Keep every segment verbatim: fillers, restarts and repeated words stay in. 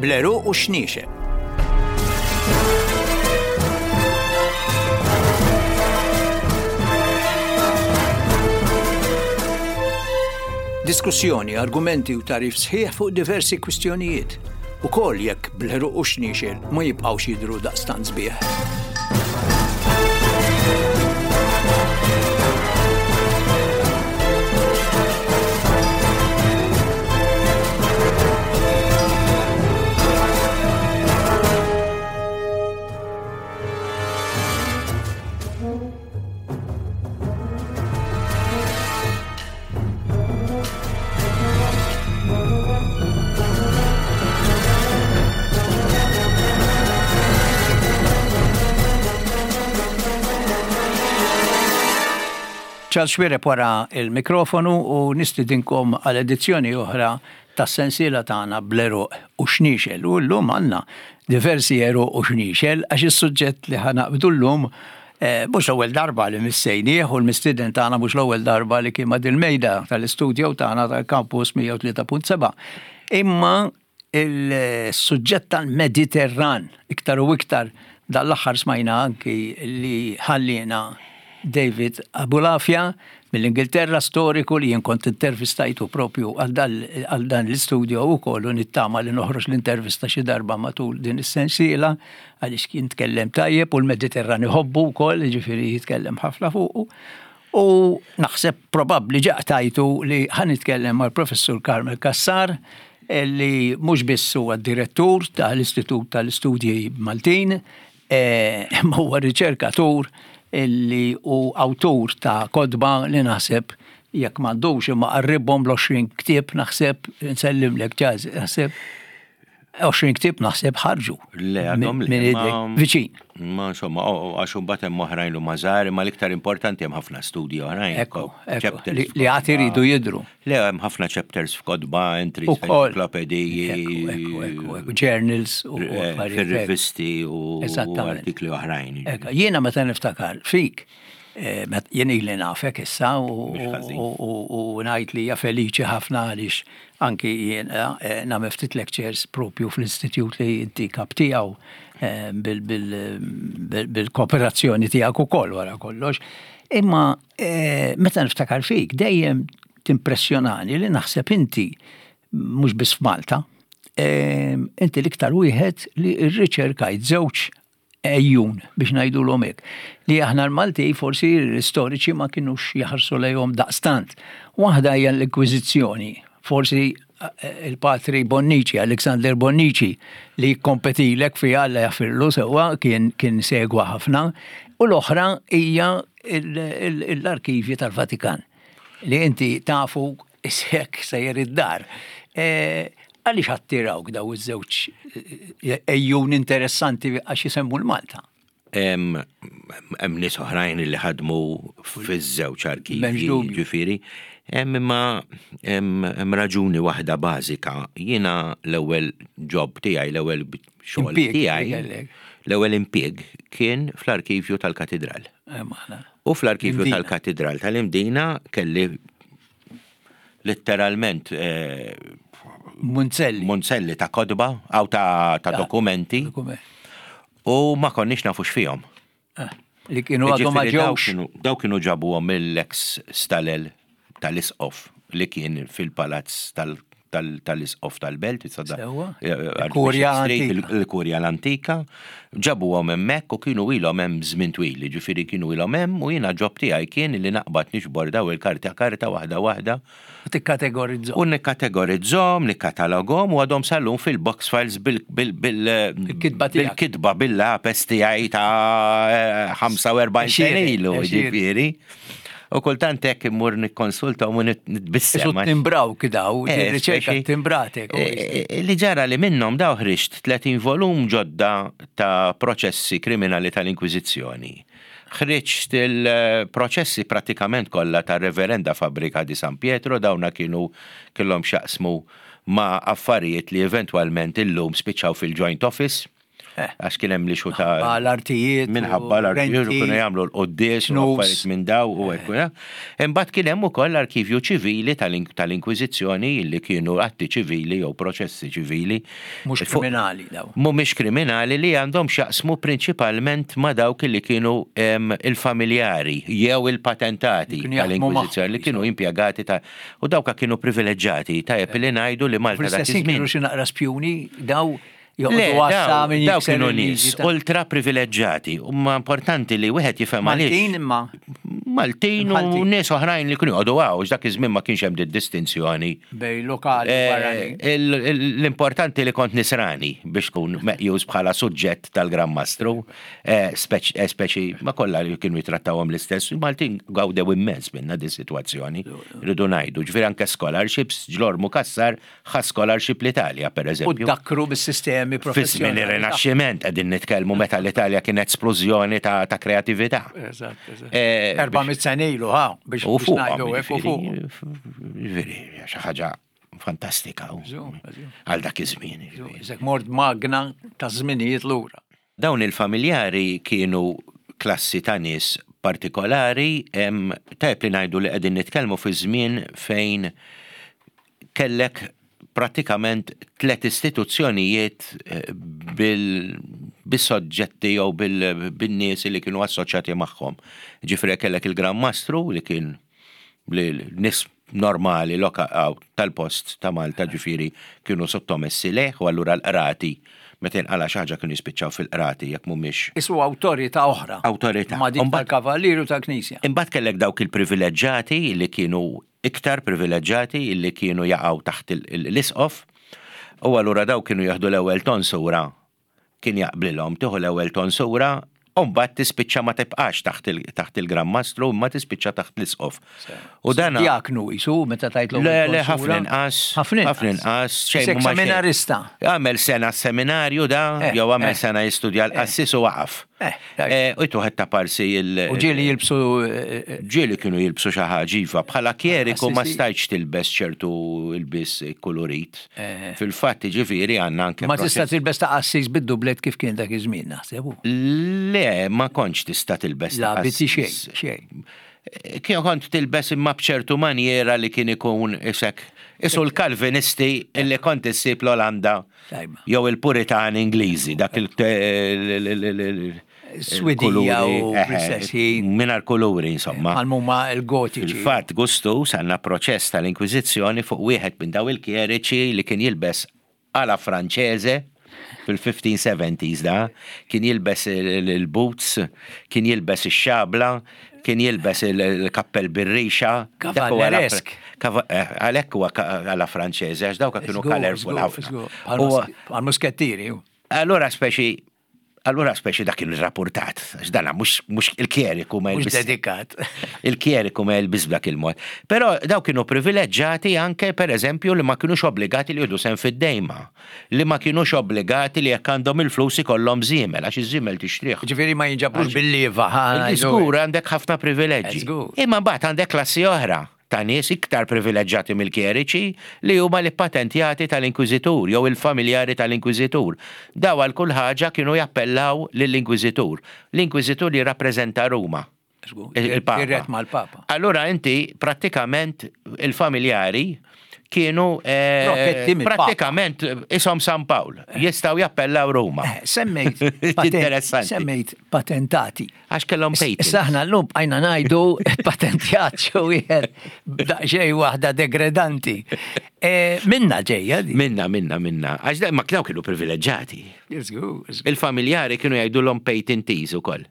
Bl-għeruq u x-xniexel. Diskussjoni, argumenti u tagħrif sħiħ fuq diversi kwistjonijiet. Ukoll jekk bl-għeruq u x-xniexel ma jibqgħux jidhru daqstant sbieħ. Charles Xuereb wara il-mikrofonu u nistidinkom għal edizzjoni oħra tas-sensiela tagħna bl-għeruq u xniexel. U llum għandna diversi għeruq u xniexel għax is-suġġett li ħanaqbdu llum eh, mhux l-ewwel darba li missejnieh u l-mistieden tagħna mhux l-ewwel darba li kien ma' dil-mejda tal-istudjo tagħna tal-Campus mija u tlieta punt seba'. Imma il-suġġett tal-Mediterran iktar u iktar dal-aħħar smajna anki li ħallina David Abulafia mill-Ingilterra, storiku li jien kont intervistajtu propju għal dan l-istudio u kollu nittama li noħroġ l-intervista xi darba matul din is-sensiela għaliex kien tkellem tajjeb u l-Mediterran iħobbu wkoll, jiġifieri jitkellem ħafna fuqu. U naħseb probabbli ġaqtajtu li ħa nitkellem mal-Professur Carmel Cassar li mhux biss huwa d-direttur tal-Istitut tal-Istudji Maltin, eh, imma huwa riċerkatur illi u awtur ta' kotba li naħseb jekk m'għandux imma qarribhom l-għoxrin ktieb naħseb nsellimlek ġaz, naħseb għoxrin ktieb naħseb ħarġu. Le, għadhom le, minn idek ma- viċin. Ma insomma, o, o, għax imbagħad hemm oħrajn li huma żgħar, imma l-iktar importanti hemm ħafna studji oħrajn. Ekku, ekku, Chapters li, li għad iridu jidhru. Le, hemm ħafna chapters f'kotba, entries Ukoll. f'enċiklopediji, Ekku, ekku, ekku, ekku, journals u eh, affarijiet hekk. fir-rivisti u Eżattament. artikli oħrajn. Ekku, jiena meta niftakar fik, eh, met-, jien ili nafek issa u, Mhux ħażin. u, u, u ngħid li hija feliċi ħafna għaliex anki jien, eh, nagħmel ftit lectures propju fl-istitut li inti kap tiegħu, eh, bil-, bil-, bil-, bil-kooperazzjoni tiegħek ukoll wara kollox. Imma, eh, meta niftakar fik dejjem timpressjonani li naħseb inti mhux biss f'Malta, eh, inti l-iktar wieħed li rriċerkajt żewġ ejjun biex ngħidulhom hekk, li aħna l-Malti forsi l-istoriċi ma kinux jaħarsu lejhom daqstant. Waħda hija l-Inkwiżizzjoni, forsi, eh, il-patri Bonnici, Alexander Bonnici, li kompetilek fi Alla jaffirlu sewwa kien, kien segwa ħafna, u l-oħra hija il-, il-, l-arkivji tal-Vatikan, li inti tafu isek sejjer id-dar. Eh, għaliex attirawk daw iż-żewġ, eh, ejjun interessanti għax jisemmu l-Malta? Hemm, hemm nies oħrajn li ħadmu fiż-żewġ arkivji, M'hemmx dubju. ġifieri. Hemm imma hemm, hemm raġuni waħda bażika. Jiena l-ewwel job tiegħi, l-ewwel xogħol Impjieg tiegħi, kellek. l-ewwel impjieg kien fl-arkivju tal-Katidral. Eh, maħna. U fl-arkivju Imdina. tal-Katidral tal-Imdina kelli letteralment, eh, Munzelli. Munzelli ta' kotba, aw ta', ta' Ta' dokumenti. Dokument. U ma konniex nafu x'fihom. Eh, li kienu għadhom ma Jiġifieri daw ġewx. kienu, daw kienu ġabuhom mill-ex stalel tal-Isqof li kien fil-palazz tal-, tal-, tal-Isqof tal-Belt, issa da- Sewwa. eh, eh, Il-Kurja Archbishop Street, Antika. il-, il-Kurja l-Antika, ġabuhom hemmhekk u kienu ilhom hemm żmien twil, jiġifieri kienu ilhom hemm u jiena ġob tiegħi kien li naqbad nixbor daw il-karta karta waħda waħda. U tikkategorizzhom. U nikkategorizzhom, nikkatalogom u għadhom sal-lum fil-box files bil-, bil-, bil-, Bil-kitba tiegħek. bil-kitba bil-lapes tiegħi ta' ħamsa u erbgħin Għexieren, sena ilu, għexieren. jiġifieri. U kultant hekk immur nikkonsulta u nitbissem. Isu timbraw kidaw, Eh, riċerka speċi, timbratek, u eh, eh, li ġara li minnhom daw ħriġt tletin volum ġodda ta' proċessi kriminali tal-Inkwiżizzjoni. Ħriġt il-proċessi pratikament kollha ta' Reverenda Fabbrica di San Pietro, dawna kienu kellhom x'jaqsmu ma' affarijiet li eventwalment illum spiċċaw fil-Joint Office. Eh. Għax kien hemm li xuta L-artijiet. Minħabba l-artijiet u kienu jagħmlu l-quddies u affarijiet minn daw u hekk. Eh. Imbagħad kien hemm ukoll l-arkivju ċivili tal-Inkwiżizzjoni li kienu atti ċivili jew proċessi ċivili. Mhux kriminali daw. Mhumiex kriminali, li għandhom x'jaqsmu prinċipalment ma' dawk li kienu il-familjari jew il-patentati tal-Inkwiżizzjoni li kienu impjegati ta' u dawka kienu privileġġati. Tajjeb li ngħidu li Malta dak iż-żmien. Kienu xi naqra spjuni daw? Le, daw kienu nies ultra privileġġati. Imma importanti li wieħed jifhem għaliex. Maltin imma. Maltin u nies oħrajn li kienu joqogħdu hawn, dak iż-żmien ma kienx hemm distinzjoni. Bej lokali u barranin. L-importanti li kont nisrani biex tkun meqjus bħala suġġett tal-Gran Mastru, speċi ma kollha li kienu jitrattawhom l-istess. Maltin gawdew immens minna di sitwazzjoni, rridu ngħidu. Ġifieri anke scholarships, Ġlormu Cassar ħa scholarship l-Italja, pereżempju. U dakkru bis-sistemi professjonali. Fi żmien ir-Rinaxximent qegħdin nitkellmu, meta l-Italja kienet splużjoni ta' kreatività. Eżatt, eżatt. Erba' mitt sena ilu, ha, biex ngħidu hekk u fuq. Ġifieri, xi ħaġa fantastika għal dak iż-żmien. Isek mort magna ta' żminijiet lura. Dawn il-familjari kienu klassi ta' nies partikolari, tajjeb li ngħidu li qegħdin nitkellmu fi żmien fejn kellek pratikament tlet istituzzjonijiet bil-soġġetti jew bil-nies li kienu assoċjati magħhom. Ġifieri kellek il-Gran Mastru li kien nies normali tal-post ta' Malta, ġifieri kienu sottomessi leh, u allura l-qrati meta jinqala xi ħaġa kienu jispiċċaw fil-qrati jekk mhumiex. Isu awtorità oħra. Awtorità. Ma dik tal-kavallieri tal-Knisja. Imbagħad kellek dawk il-privileġġati li kienu iktar privileġġati li kienu jaqgħu taħt l-isqof, u allura daw kienu jieħdu l-ewwel tonsura, kien jaqblilhom tieħu l-ewwel tonsura, u mbagħad tispiċċa ma tibqax taħt il-Gran Mastru, imma tispiċċa taħt l-isqof. U dan diaknu isu meta tajt l-ewwel. Le, le, ħafna inqas. Ħafna inqas. Xejn seminarista. Għamel sena seminarju da, jew għamel sena jistudja l-qassis u waqaf. U jtuħed ta' parsi il- U ġieli jilbsu. Ġieli kienu jilbsu xi ħaġa iva, bħala kjeriku ma stajtx tilbes ċertu ilbis kolorit. Fil-fatt ġifieri għandna anke. Ma tista' tilbes ta' qassis bid-dublet kif kien dak iż-żmien, naħseb. Le, ma kontx tista' tilbes ta' qassis. La, xejn, xejn. Kien kont tilbes imma b'ċertu manjera li kien ikun isek. Isu l-Kalvinisti illi kont issib l-Olanda jew il-Puritani Ingliżi, dak il- Swedija u fl-istess Mingħajr kuluri, insomma. Għal-mumma il-gotiċi. Fil-fatt, Gustu sanna proċess tal-Inkwiżizzjoni fuq wieħed minn daw il-kjeriċi li kien jilbes għala Franċeże fil-fifteen seventies da, kien jilbes il-boots, kien jilbes ix-xabla, kien jilbes il-kappell bir-rixa. Kavalleresk. Għalhekk huwa għala Franċeże, għax dawk kienu colorful ħafna. Għal-muskettieri. Allura speċi Allura speċi dak kien rapportat, għax dana mhux il-kjeriku ma jilbis. Dedikat. Il-kjeriku ma jilbis b'dak il-mod. Però daw kienu privileġġati anke per eżempju li ma kienux obbligati li jieħdu sehem fid-dejma, li ma kienux obbligati li jekk għandhom il-flus ikollhom żiemel, għax iż-żiemel tixtrih. Ġifieri ma jinġabrux bil-lieva. Żgur għandek ħafna privileġġi. Imma mbagħad għandek klassi oħra ta' nies iktar privileġġati mill-kjeriċi li huma l-patentjati tal-Inkwiżitur jew il-familjari tal-Inkwiżitur. Daw għal kull ħaġa kienu jappellaw lill-Inkwiżitur. L-Inkwiżitur jirrappreżenta Ruma. Il-Papa. mal-Papa. Allura inti prattikament il-familjari kienu prattikament isom San Pawl, jistgħu jappellaw Ruma. Semmejt semmejt patentati. Għax kellhom patent. Issa aħna llum bqajna ngħidu patentjat xi wieħed daqsxejn waħda degredanti. Minna ġejja di. Minna, minna, minna. Għax ma daw kienu privileġġati. Il-familjari kienu jgħidulhom patentees ukoll.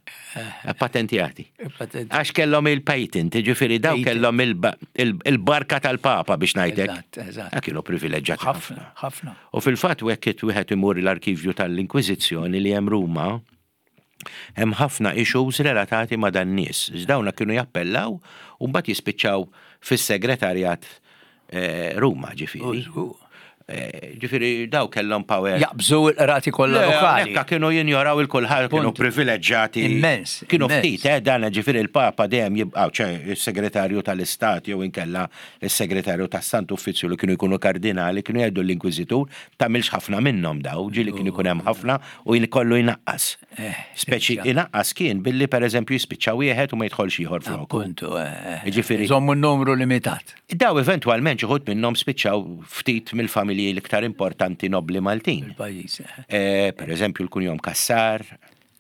Patentjati. Għax kellhom il-patent, ġifieri daw kellhom il-barka tal-Papa biex ngħidlek. Eżatt. Kienu privileġġati ħafna. Ħafna. U fil-fatt hekk wieħed imur l-arkivju tal-Inkwiżizzjoni li hemm Ruma, hemm ħafna issues relatati ma' dan nies. Dawna kienu jappellaw u mbagħad jispiċċaw fis-segretarjat Ruma, ġifieri. Eh, Ġifieri daw kellhom power. Jaqbżu l-qrati kollha Le, lokali. Ekka kienu jinjoraw il-kulħadd, kienu Punt. privileġġati. Immens, Kienu immens. ftit, eh, dan ġifieri il-Papa dejjem jibqgħu, ċe il-segretarju tal-Istat jew inkella il-segretarju tas-Sant Uffizzju li kienu jkunu kardinali, kienu jgħidu l-Inkwiżitur, tagħmilx ħafna minnhom daw, ġieli kienu jkun hemm ħafna u jkollu jnaqqas. Eh, Speċi ġa. inaqqas kien billi pereżempju jispiċċa wieħed u ma jidħolx ieħor floku. Appuntu, eh, Ġifieri- Żommu n-numru limitat. Daw eventwalment xi wħud minnhom spiċċaw ftit mill-familji l-iktar importanti nobli Maltin. Il-pajjiż. eh. Eh, per eżempju, l-kunjom Kassar,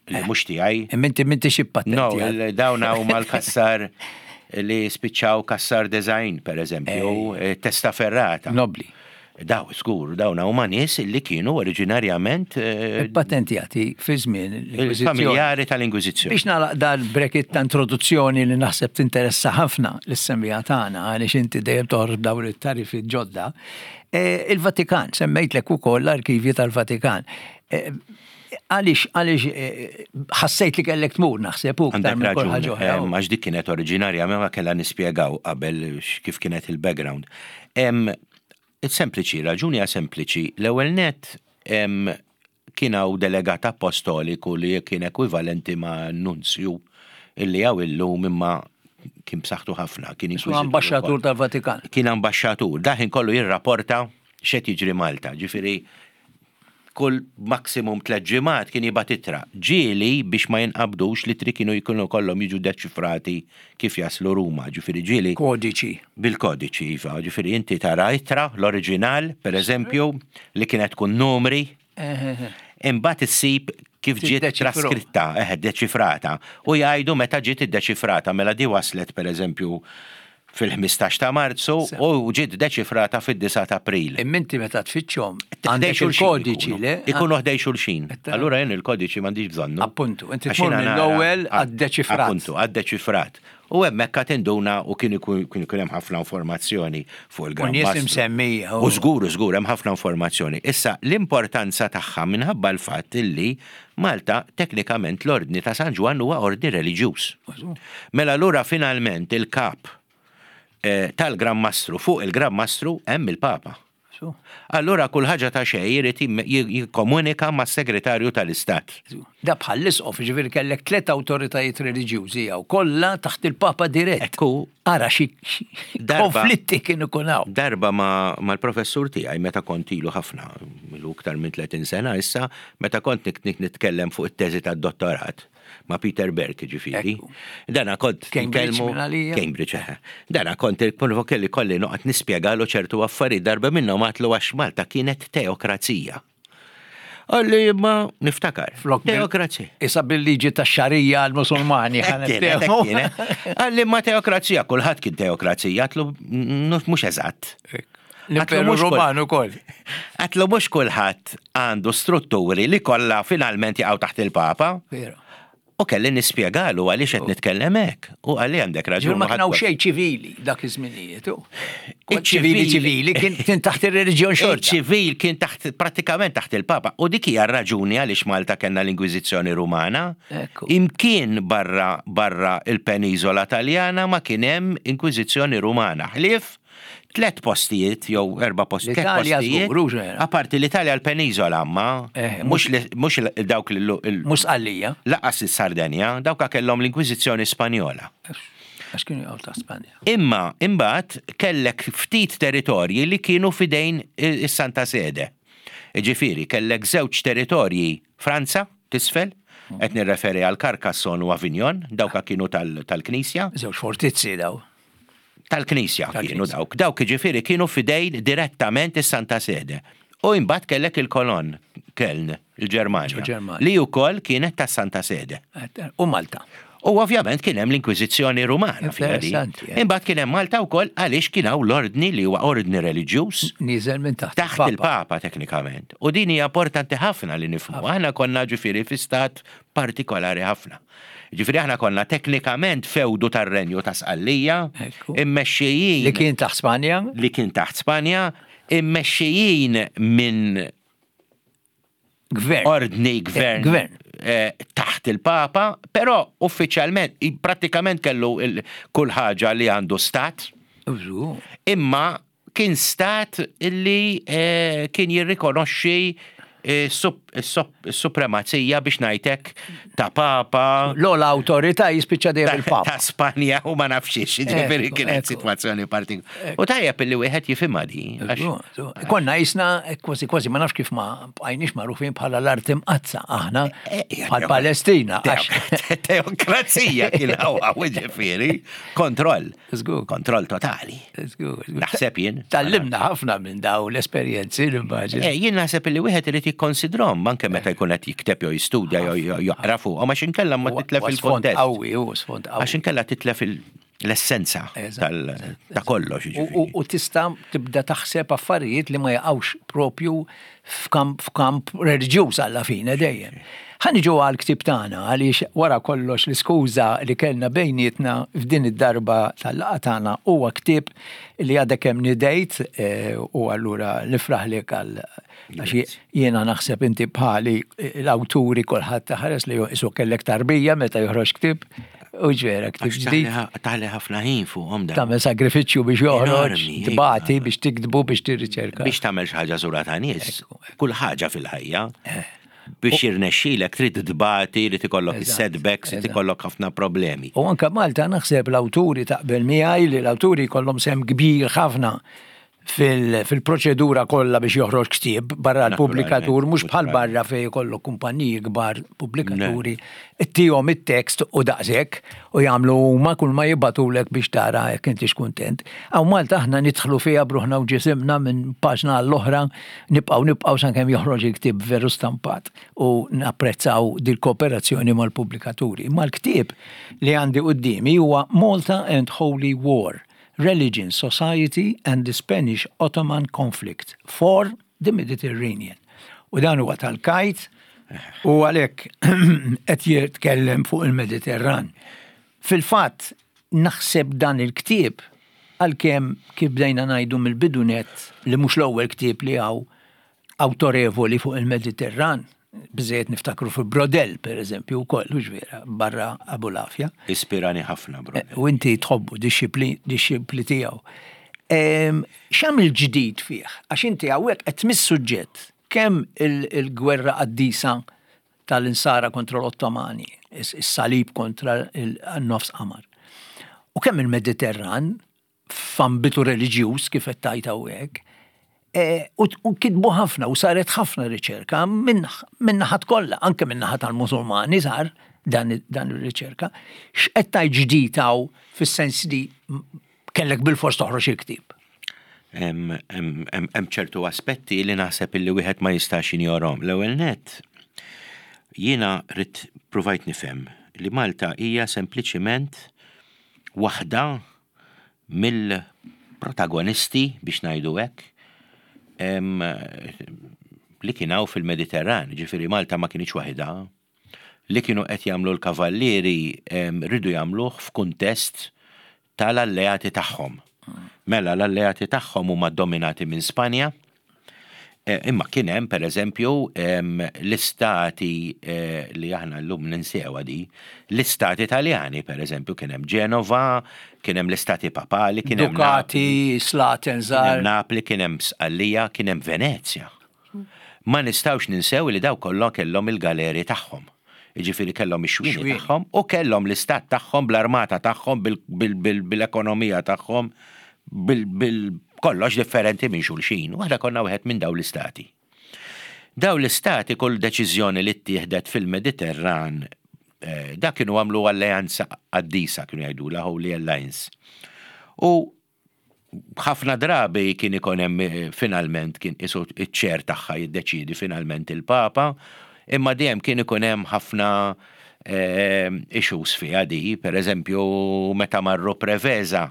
li mhux tiegħi. Imma inti minti xi patenti. No, il- dawn huma l-Kassar li spiċċaw Kassar Design, per eżempju, eh, Testaferrata. Nobli. Daw, żgur, dawn huma nies li kienu oriġinarjament eh, Patentjati fi żmien l-Inkwiżizzjoni. familjari tal-Inkwiżizzjoni. Biex nagħlaq dal-bracket ta' introduzzjoni li naħseb tinteressa ħafna lis-semmiegħa tagħna għaliex inti dejjem toħroġ dawn it-tarifi ġodda. Eh, Il-Vatikan, semmejtlek ukoll l-arkivji tal-Vatikan. Eh, Għaliex għaliex eh, ħassejt li kellek tmur naħseb u iktar Għandek minn kull raġun, ħaġa oħra. em, għax dik kienet oriġinarja, ma kellha nispjegaw qabel x- kif kienet il-background. Em, Sempliċi, raġuni hija sempliċi. L-ewwel net em, kien hawn delegat apostoliku li kien ekwivalenti ma' nunzju illi hawn illum imma kien b'saħħtu ħafna. Kien Su inkwiżitur ambasċatur ukoll. tal-Vatikan. Kien ambasċatur, daħin kollu jirrapporta x'qed jiġri Malta. Ġifieri kull maksimum tliet ġimgħat kien jibgħat ittra. Ġieli biex ma jinqabdux l-ittri kienu jkunu kollhom jiġu deċifrati kif jaslu Ruma. Ġifieri ġieli Kodiċi. bil-kodiċi, iva. Ġifieri inti tara ittra, l-oriġinal, per eżempju, li kienet tkun numri, imbagħad issib kif ġiet Tiddeċifru. traskritta, eh, deċifrata. U jgħidu meta ġiet iddeċifrata, mela di waslet per eżempju fil-ħmistax ta' Marzu u ġiet deċifrata fid-disgħa ta' April. Imma inti meta tfittxhom Ħdej għandek xulxin il-kodiċi, ikunu. le? Ikunu ħdej xulxin. Etta- Allura jien il-kodiċi m'għandix bżonnu. Appuntu, inti Għax tmur jiena nara- mill-ewwel Ah, għad-deċifrat. Appuntu, għad-deċifrat. U hemmhekk qed induna u kien ikun kien ikun hemm ħafna informazzjoni fuq il-Gran U nies Mastru. imsemmija, U żgur, żgur, hemm ħafna informazzjoni. Issa, l-importanza tagħha minħabba l-fatt illi Malta teknikament l-Ordni ta' San Ġwann huwa ordni reliġjuż. Mela allura finalment il-kap eh, tal-Gran Mastru fuq il-Gran Mastru hemm il-Papa. Su, Allura kull ħaġa ta' xejn irid jim- jikkomunika mas-segretarju tal-Istat. su. Da bħal l-isqof, ġifieri kellek tliet awtoritajiet reliġjużi jew kollha taħt il-Papa dirett. Ekku. Ara xi xi Darba- konflitti kienu kun hawn. Darba ma mal-professur tiegħi meta kont ilu ħafna, ilu iktar minn tletin sena issa, meta kont nik nik nitkellem fuq it-teżi tad-dottorat ma' Peter Berk ġifieri. Ekku. Dana kont Cambridge nkellmu- minn għalija. Cambridge, eħe. Dana kont kelli kolli noqgħod nispjegalu ċertu affarijiet darba minnhom għatlu għax Malta kienet teokrazija. Għalli ma niftakar. Flok bil- Teokrazija. Issa bil-liġi ta' xarija għal-Musulmani. Hekk kienet, hekk kienet. Għalli ma teokrazija, kulħadd kien teokrazija, għatlu mhux eżatt. L-Imperu mhux kull- Roman ukoll. Għatlu mhux kulħadd għandu strutturi li kollha finalment jaqgħu taħt il-Papa. Vero. U kelli nispjegalu għaliex qed nitkellem hekk. U għalli għandek raġun. Ġur ma u ħadd kien hawn xejn ċivili dak iż-żminijiet. u. Iċ-ċivili- Ċivili ċivili kien kien taħt ir-reliġjon xorta. Il-ċivil kien taħt pratikament taħt il-Papa. U dik hija r-raġuni għaliex Malta kellna l-Inkwiżizzjoni Rumana. Ekku. Imkien barra barra il-peniżola Taljana ma kien hemm Inkwiżizzjoni Rumana. Ħlief tlet postijiet jew erba' postijiet. tlet L-Italja postijiet. żgur, hux vera. Apparti l-Italja l-peniżola ma Eh, mhux li- mhux il- dawk li il- Mhux Sqallija. laqas is-Sardenja, dawk kellhom l-Inkwiżizzjoni Spanjola. Għax kienu jgħu ta' Spanja. Imma imbagħad kellek ftit territorji li kienu fidejn is-Santa Sede. Ġifieri, kellek żewġ territorji Franza, tisfel, qed nirreferi għal Carcassonne u Avignon, dawka kienu tal- tal-Knisja. Żewġ fortizzi daw. Tal-Knisja Tal-Knisja. kienu dawk. Dawk ġifieri kienu fidejn direttament is-Santa Sede. U imbagħad kellek il-Kolon, Keln, il-Ġermanja, Ġermanja. li wkoll kienet tas-Santa Sede. U Malta. U ovvjament kien hemm l-Inkwiżizzjoni Rumana fiha di. Interessanti, eh. Imbagħad kien hemm Malta wkoll għaliex kien hawn l-ordni li huwa ordni reliġjuż Niżel minn taħt. taħt il-Papa teknikament. U din hija importanti ħafna li nifhmu. Aħna konna ġifieri fi stat partikolari ħafna. Ġifieri aħna konna teknikament fewdu tar-renju ta' Sqallija, Ekku. immexxijin Li kien taħt Spanja. li kien taħt Spanja, immexxijin minn Gvern. ordni gvern, Gvern. eh, taħt il-Papa, però uffiċjalment i- pratikament kellu il- kull ħaġa li għandu stat, Użu. imma Kien stat illi eh, kien jirrikonoxxi eh, sup- sup- supremazija biex ngħidlek ta' papa L-ogħla awtorità jispiċċa dejjem ta' il-papa. ta' Spanja u ma nafx ġifieri Ekku, kienet ekku. sitwazzjoni partikolari. U tajjeb illi wieħed jifhimha di. għax- Konna jisna kważi kważi ma nafx kif ma bqajniex magħrufin bħala l-art imqaddsa aħna Eh, eh, bħal Palestina. għax- Teokrazija kien hawn ġifieri, kontroll. Żgur. Kontroll totali. Żgur, żgur. Naħseb jien. Tgħallimna ħafna minn daw l-esperjenzi l-immaġin. Eh, jien naħseb li wieħed irid jikkonsidrom anke meta jkun qed jikteb jew jistudja jew jew joqra fuq, għax inkella ma titlef Sfond il-kontest. qawwi, u sfond qawwi. Għax inkella titlef il- l-essenza Eżatt, tal- ta' kollox. U- ġifieri. U u tista' tibda taħseb affarijiet li ma jaqgħux propju f'kamp f'kamp reliġjuż alla fine dejjem. Ħa niġu għal ktieb tagħna għaliex wara kollox l-iskuża li kellna bejnietna f'din id-darba tal-laqgħa tagħna huwa ktieb li għadek kemm nidejt eh, u allura nifraħlek għal għax jiena naħseb inti bħali eh, l-awturi kulħadd taħares li isu kellek tarbija meta joħroġ ktieb u ġvera ktieb Għax ġdid taħli- taħli ħafna ħin fuqhom dan. tagħmel sagrifiċċju biex joħroġ, Enormi, tbati iva. biex tiktbu biex tirriċerka. Biex tagħmel xi ħaġa sura ta' nies, kull ħaġa fil-ħajja. Eh. Biex jirnexxilek trid tbati, trid ikollok Eżatt, is-setbacks, trid eżatt. ikollok ħafna problemi. U anka Malta naħseb l-awturi taqbel miegħi li l-awturi kollhom sehem kbir ħafna fil- fil-proċedura kollha biex joħroġ ktieb barra l-pubblikatur, mhux bħal barra fejn jkollok kumpaniji kbar pubblikaturi, ittihom it-tekst u daqshekk u jagħmlu huma kull ma jibagħtulek biex tara jekk intix kuntent. Hawn Malta aħna nidħlu fiha bruħna u ġisimna minn paġna għall-oħra, nibqgħu nibqgħu sakemm joħroġ il-ktieb veru stampat u napprezzaw dil-kooperazzjoni mal-pubblikaturi. Imma l-ktieb li għandi quddiemi huwa Malta and Holy War. Religion, Society and the Spanish Ottoman Conflict for the Mediterranean. U dan huwa tal-Kite u għalhekk qed jitkellem fuq il-Mediterran. Fil-fatt naħseb dan il-ktieb għalkemm kif bdejna ngħidu mill-bidu nett li mhux l-ewwel ktieb li hawn awtorevoli fuq il-Mediterran, biżejjed niftakru fuq Braudel, per eżempju, wkoll, hux vera, barra Abulafia. Ispirani ħafna, bro. U inti tħobbu dixxipli dixxipli tiegħu. Em, X'għamil ġdid fih? Għax inti hawnhekk qed tmiss suġġett kemm il- il-gwerra qaddisa tal-insara kontra l-Ottomani, is- is-salib kontra il-nofs qamar. U kemm il-Mediterran f'ambitu reliġjuż kif qed tgħid hawnhekk, e, u u kitbu ħafna u saret ħafna riċerka minn minn naħat kollha, anke minn naħat tal-Musulmani sar dan dan ir-riċerka. X'qed tgħid ġdid hawn fis-sens li kellek bil-fors toħroġ il-ktieb? Hemm hemm- hemm- hemm ċertu aspetti li naħseb illi wieħed ma jistax jinjorhom. L-ewwel net, jiena rrid provajt nifhem li Malta hija sempliċiment waħda mill-protagonisti biex ngħidu hekk em, li kien hawn fil-Mediterran, ġifieri Malta ma kienx waħda, li kienu qed jagħmlu l-kavallieri em, ridu jagħmluh f'kuntest tal-alleati tagħhom. Mela l-alleati tagħhom huma dominati minn Spanja, Eh, Imma kien hemm pereżempju em, l-istati eh, li aħna llum ninsewha di, l-istati Italjani pereżempju kien hemm Ġenova, kien hemm l-istati Papali, kien hemm Dukati, Slaten, kien hemm Żar. Napli, kien hemm Sqallija, kien hemm Venezja. Ma nistgħux ninsew li daw kollha kellhom il-galeri tagħhom. Jiġifieri kellhom ix-xwieni Xwieni. tagħhom u kellhom l-istat tagħhom bl-armata tagħhom bil-ekonomija tagħhom bil kollox differenti minn xulxin. U aħna konna wieħed minn daw l-istati. Daw l-istati kull deċiżjoni li ttieħdet fil-Mediterran eh, da kienu għamlu alleanza qaddisa kienu jgħidu la Holy Alliance. U ħafna drabi kien ikun hemm eh, finalment kien isu iċ-ċer tagħha jiddeċidi finalment il-Papa, imma dejjem kien ikun hemm ħafna eh, issues fiha di, per eżempju meta marru Preveza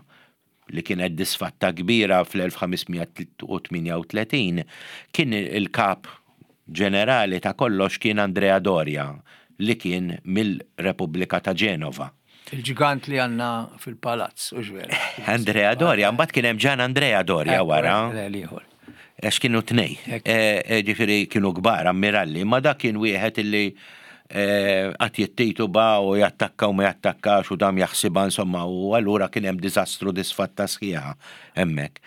li kienet disfatta kbira fl-elf ħames mija tmienja u tletin, kien il-kap ġenerali ta' kollox kien Andrea Doria li kien mill-Repubblika ta' Ġenova. Il-ġigant li għandna fil-palazz, u vera. Andrea Doria, mbagħad kien hemm Gian Andrea Doria wara. L-ieħor. Għax kienu tnej. Ekku. E, e, Ġifieri kienu kbar, ammiralli, ma dak kien wieħed illi Qatt jittituba u jattakka u ma jattakkax u dam jaħsibha, insomma, u allura kien hemm diżastru, disfatta sħiħa hemmhekk.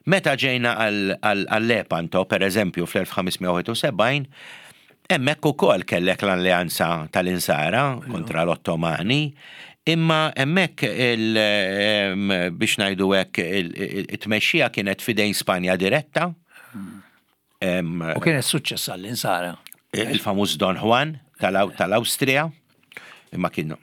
Meta ġejna għal-Lepanto, per eżempju, fl-elf ħames mija u wieħed u sebgħin, hemmhekk ukoll kellek l-alleanza tal-Insara kontra l-Ottomani, imma hemmhekk, biex ngħidu hekk, it-tmexxija kienet fidejn Spanja diretta. U kienet suċċess għall-Insara. Il-famuż Don Juan tal-Awstrija, imma kien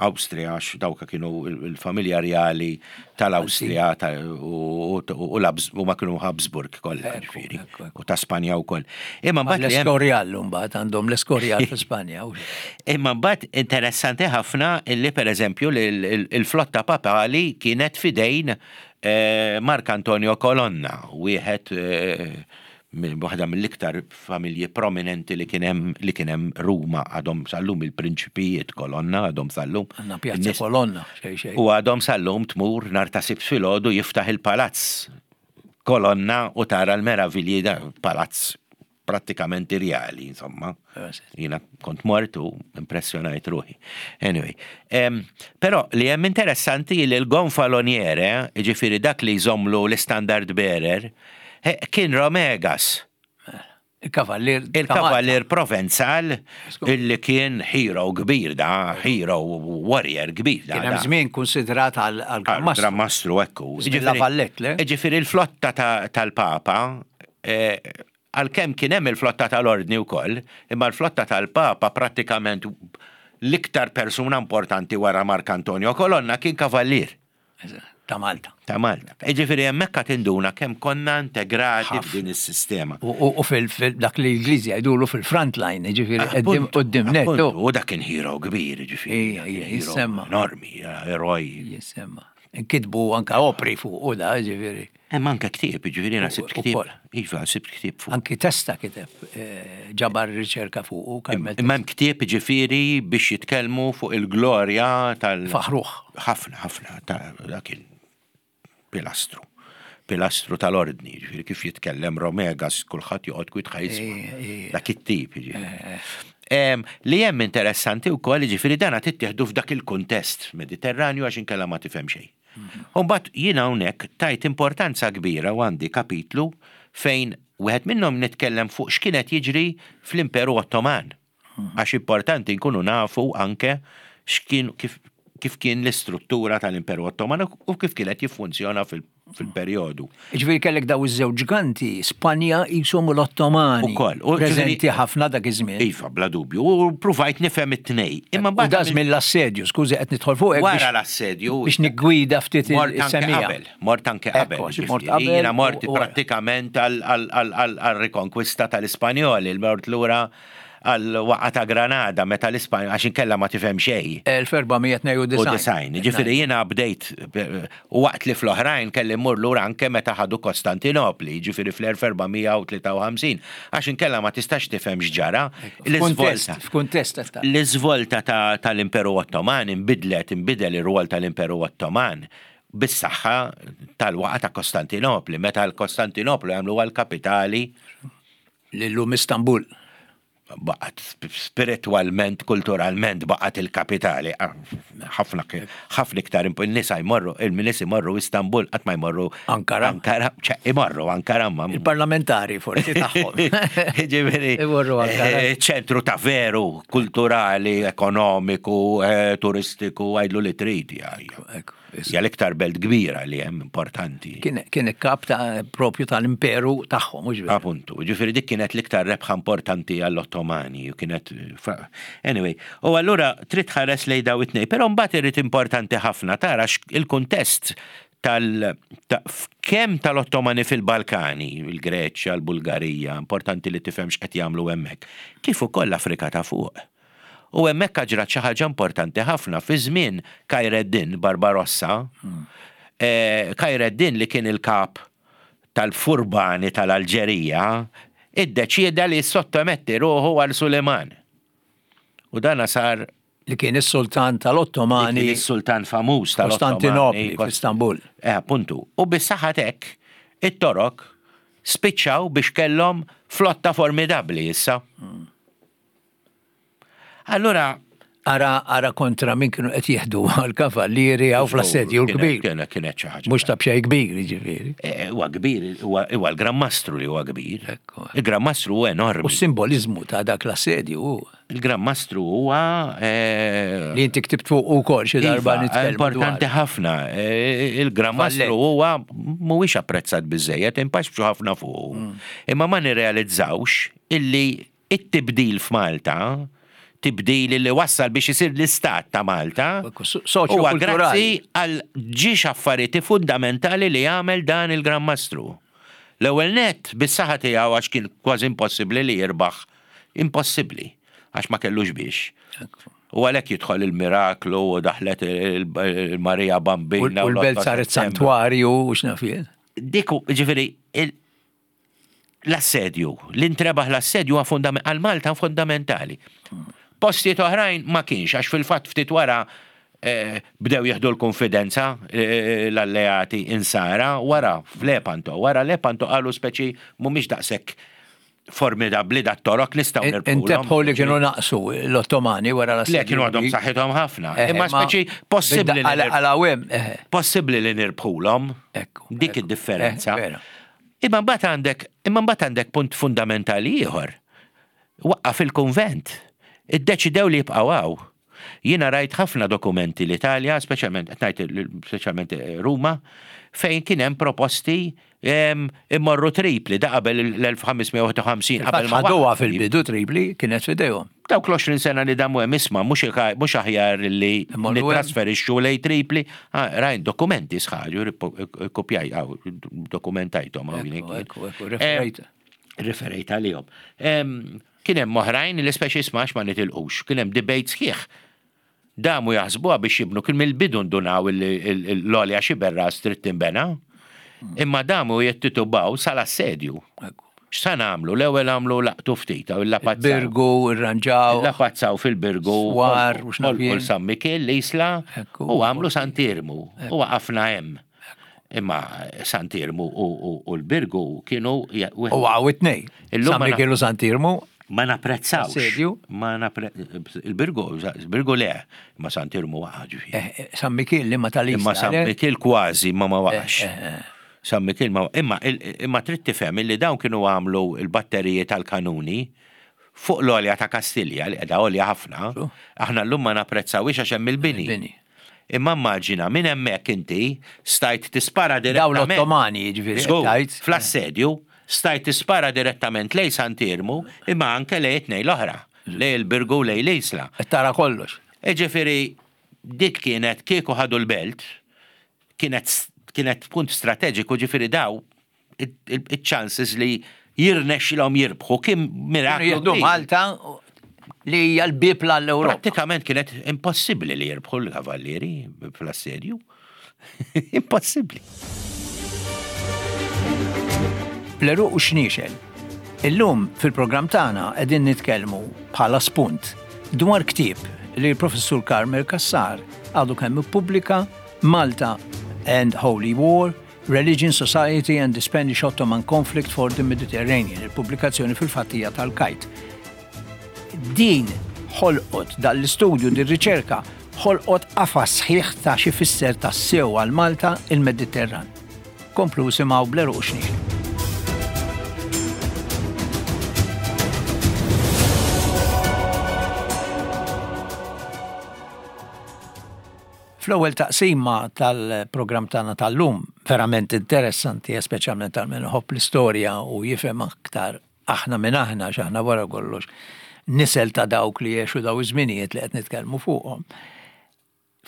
Awstrija għax dawka kienu il-familja reali tal-Awstrija u ma kienu Habsburg kollha, ġifieri, u ta' Spanja wkoll. Imma mbagħad l-Escorial, mbagħad għandhom l-Escorial fi Spanja. Imma mbagħad interessanti ħafna illi, pereżempju, il-flotta papali kienet fidejn eh, Mark Antonio Colonna, wieħed eh, waħda mill-iktar familji prominenti li kien hemm li kien hemm Ruma, għadhom sal-lum il-prinċipijiet Kolonna, għadhom sal-lum. Għandna Pjazza Kolonna, xej xej. U għadhom sal-lum tmur nhar ta' Sibt filgħodu, jiftaħ il-palazz Kolonna u tara l-meravilji, da palazz prattikament irjali, insomma. Jiena kont mort u impressjonajt ruħi. Anyway, um, però li hemm interessanti li l-gonfaloniere, ġifieri dak li jżomlu l-standard bearer, kien Romegas. Il-kavallir. Il-kavallir Provenzal illi kien hero kbir da, hero warrior kbir da. Kien hemm żmien konsidrat għal Gran Mastru. Gran Mastru, ekku. La Valette, le? Ġifieri il-flotta tal-Papa, eh, għalkemm kien hemm il-flotta tal-Ordni wkoll, imma l-flotta tal-Papa, prattikament l-iktar persuna importanti wara Mark Antonio Colonna kien kavallir. Ta' Malta. Ta' Malta. Ġifieri hemmhekk tinduna kemm konna integrati f'din is-sistema. U fil-dak li l-Ingliżi jgħidulu fil-front line, ġifieri quddiem net. U dak kien hero kbir, ġifieri. Jissemma. Enormi, eroj. Jissemma. Nkitbu anka opri fuq u da, ġifieri. Hemm anke ktieb, ġifieri jiena sibt ktieb. Iva, sibt ktieb fuq. Anki Testa kiteb, eh, ġabar riċerka fuq u Imma hemm ktieb, ġifieri, biex jitkellmu fuq il-glorja tal- Faħruħ. Ħafna, ħafna, ta' kien pilastru. Pilastru tal-ordni, ġifieri kif jitkellem Romegas, kulħadd joqgħod kwit ħa jisma'. Dak it-tip, ġifieri. Li hemm interessanti wkoll, ġifieri, dana tittieħdu f'dak il-kuntest Mediterranju għax inkella ma tifhem xejn. Umbagħad jiena hawnhekk tajt importanza kbira u għandi kapitlu fejn wieħed minnhom nitkellem fuq x'kienet jiġri fl-Imperu Ottoman. Għax importanti nkunu nafu anke x'kien kif, kif kien l-istruttura tal-Imperu Ottoman u kif kienet jiffunzjona fil-perjodu. Ġifieri kellek daw iż-żewġ ġganti, Spanja jisom l-Ottomani. Ukoll. Preżenti ħafna dak iż-żmien. Iva, bla dubju. U provajt nifhem it-tnej. Imma mbagħad da żmien l-assedju, skużi qed nidħol fuq. Wara l-assedju. Biex niggwida ftit is-semija. Mort anke qabel. Mort qabel. Jiena mort prattikament għal-rikonkwista tal-Ispanjoli, mort lura għal-waqgħa ta' Granada meta l-Ispanja, għax inkella ma tifhem xejn. elf erba' mija u tnejn u disgħin. Ġifieri jiena bdejt u waqt li fl-oħrajn kelli mmur lura anke meta ħadu Kostantinopli, ġifieri fl-elf erba' mija u tlieta u ħamsin, għax inkella ma tistax tifhem x'ġara. L-iżvolta. F'kuntest. L-iżvolta tal-Imperu Ottoman inbidlet, inbidel ir-rwol tal-Imperu Ottoman bis-saħħa tal-waqgħa ta' Kostantinopli, meta l-Kostantinopli għamlu għal-kapitali. L-lum Istanbul. Baqgħet spiritualment, kulturalment baqgħet il-kapitali. Ħafna ħafna iktar in-nisa jmorru, il-nies imorru Istanbul, qatt ma jmorru Ankara. Ankara, ċe, imorru Ankara ma. Il-parlamentari forsi tagħhom. Ġifieri, Imorru Ankara. eh, ċentru ta' veru, kulturali, ekonomiku, eh, turistiku, għidlu li trid. ja, ja. Ekku, Hija l-iktar belt kbira li hemm importanti. Kien kien il-kap ta' propju tal-imperu tagħhom, mhux veru? Appuntu, ġifieri dik kienet l-iktar rebħa importanti għall-Ottomani u kienet fa- Anyway, u allura trid tħares lejn daw it-tnejn, però mbagħad irid importanti ħafna tara x- il-kuntest tal ta, kemm tal-Ottomani fil-Balkani, il-Greċja, l-Bulgarija, importanti li tifhem x'qed jagħmlu hemmhekk, kif ukoll l-Afrika ta' fuq. U hemmhekk ġrat xi ħaġa importanti ħafna fi żmien Kajreddin Barbarossa, eh, Kajreddin li kien il-kap tal-furbani tal-Alġerija, iddeċieda li sottometti ruħu għal Suleman. U dana sar Li kien is-sultan tal-Ottomani. Kien is-sultan famuż tal-Ottomani. Kostantinopli, f'Istanbul. Eh, appuntu. U bis-saħħa t'hekk, it-Torok spiċċaw biex kellhom flotta formidabbli issa. Allura Ara, ara kontra min kienu qed jieħdu għal-kavallieri għaw fl-assedju l-kbir. Kienet kienet xi ħaġa. Mhux ta' b'xejn kbir, jiġifieri. Eh, Huwa kbir, huwa huwa l-Gran Mastru li huwa kbir. Ekku. Il-Gran Mastru huwa U enormi. s-simbolizmu ta' dak l-assedju hu. Il-Gran Mastru huwa eh, Li inti ktibt fuq ukoll xi darba Iva, nitkellmu importanti dwar. ħafna. Eh, Il-Gran Mastru Valletta. huwa mhuwiex apprezzat biżejjed, impaxxu ħafna fuq. Mm. Imma ma nirrealizzawx illi it-tibdil f'Malta, tibdil li wassal biex isir l-istat ta' Malta, Ekku, so- huwa soċjo-kulturali. grazzi għal ġiex affarijiet fundamentali li għamel dan il-Gran Mastru. L-ewwel net bis-saħħa tiegħu għax kien kważi impossibbli li jirbaħ, impossibbli għax ma kellux biex. Ekku. U għalhekk jidħol il-miraklu u daħlet il-Marija U Bambina. u l-belt l-otto saret Settembru. santwarju u x'naf jien. Dik, hu- ġifieri, il- l-assedju, l-intrebaħ l-assedju huwa fundament- għal Malta fundamentali. Postijiet oħrajn ma kienx, għax fil-fatt ftit wara eh, bdew jieħdu l-konfidenza eh, l-alleati insara wara f'Lepanto, wara Lepanto qalu speċi mhumiex daqshekk formidabbli dat torok nistgħu nirbħulhom. Intebħu li kienu naqsu l-Ottomani wara l-assedju. Le kienu għadhom saħħithom ħafna. Eh, Imma speċi possibbli li Għal nirbħu- għawem, eh, possibbli li nirbħulhom. ekku. Dik ekku. id-differenza. Eh, vera. Imma mbagħad għandek imma mbagħad għandek punt fundamentali ieħor. Waqqaf il-kunvent. Iddeċidew li jibqgħu hawn. Jiena rajt ħafna dokumenti l-Italja, speċjalment qed ngħid il- speċjalment Ruma, fejn kien hemm proposti em, immorru Tripli da qabel l-elf ħames mija u wieħed u ħamsin qabel ma Ħaduha waqaf. fil-bidu Tripli kienet fidejhom. Dawk l-għoxrin sena li damu hemm isma' mhux iħa- mhux aħjar li Immorru hemm. nitrasferixxu lej Tripli. Ah, rajn dokumenti sħaġu, kopjaj, għaw, dokumentajthom hawn Ekku, jien. ekku, ekku, referejt. Referejt għalihom. Em, Kien hemm oħrajn li speċi isma' ma nitilqux, kien hemm debate sħiħ. Damu jaħsbuha biex jibnu kien mill-bidu ndunaw l-għolja Xiberras trid tinbena. Imma damu jittitubaw sal-assedju. Ekku. X'sa nagħmlu? L-ewwel għamlu laqtu ftit u l-lapazzaw. Birgu, irranġaw. Lapazzaw fil-Birgu. Swar, u x'naf u jien. San Mikiel, l-Isla, Ekku. u għamlu Sant'Iermu. U waqafna hemm. Imma Sant'Iermu u u- u l-Birgu kienu ja- U għaw it-nej. Illum San ma na- Mikiel u Sant'Iermu. ma napprezzawx. Assedju? Ma napre... Il-Birgu, il-Birgu le, ma Sant'Iermu waqa' ġifieri. eh, eh, San Mikiel li ma tal-Isla. Imma San le? Mikiel kważi ma ma waqax. Eh, eh, eh. San Mikiel ma imma imma trid tifhem illi dawn kienu għamlu il-batteriji tal-kanuni fuq l-għolja ta' Kastilja li qiegħda għolja ħafna. Xu? Aħna llum ma napprezzawix għax hemm il-bini. Il-bini. Imma immaġina minn hemmhekk inti stajt tispara Dawn direttament. l-Ottomani, jiġifieri, Żgur, tajt. Fl-assedju stajt tispara direttament lej Sant'Iermu imma anke lej it-tnejn l-oħra, lej il-Birgu u lej l-Isla. Qed Tara kollox. Ġifieri, dik kienet kieku ħadu l-belt, kienet, kienet punt strateġiku, ġifieri daw il-chances li jirnexxilhom jirbħu kien Kienu miraklu. jieħdu kbir. Malta li hija l-bib l-Ewropa. Prattikament kienet impossibbli li jirbħu l-kavallieri fl-assedju. Impossibbli. L-eruq u xniexel. Illum fil-programm tagħna qegħdin nitkellmu bħala spunt dwar ktieb li l-professur Carmel Cassar għadu kemm ippubblika Malta and Holy War, Religion, Society and the Spanish Ottoman Conflict for the Mediterranean, il-pubblikazzjoni fil-fattija tal-Kajt. Din ħolqot dal-istudju din riċerka ħolqot qafas sħiħ ta' xi fisser tas-sew għal Malta il-Mediterran. Komplu simgħu bl-eruq u xniexel. Fl-ewwel taqsima tal-programm tagħna tal-lum verament interessanti, speċjalment għal min iħobb l-istorja u jifhem aktar aħna minn aħna x'aħna wara kollox nisel ta' dawk li jgħixu daw iż-żminijiet li qed nitkellmu fuqhom.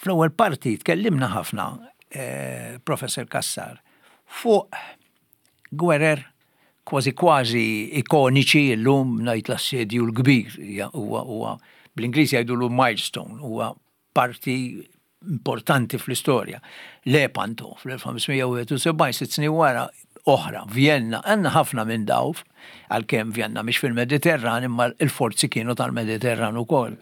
Fl-ewwel parti tkellimna ħafna, eh, Professor Cassar, fuq gwerer kważi kważi ikoniċi llum ngħid l-assedju l-kbir, hija- huwa huwa bl-Ingliż jgħidulu milestone, huwa parti importanti fl-istorja. Lepanto fl-elf ħames mija u wieħed u sebgħin, sitt snin wara oħra, Vienna, għandna ħafna minn daw, għalkemm Vienna mhix fil-Mediterran, imma il-forzi kienu tal-Mediterran ukoll.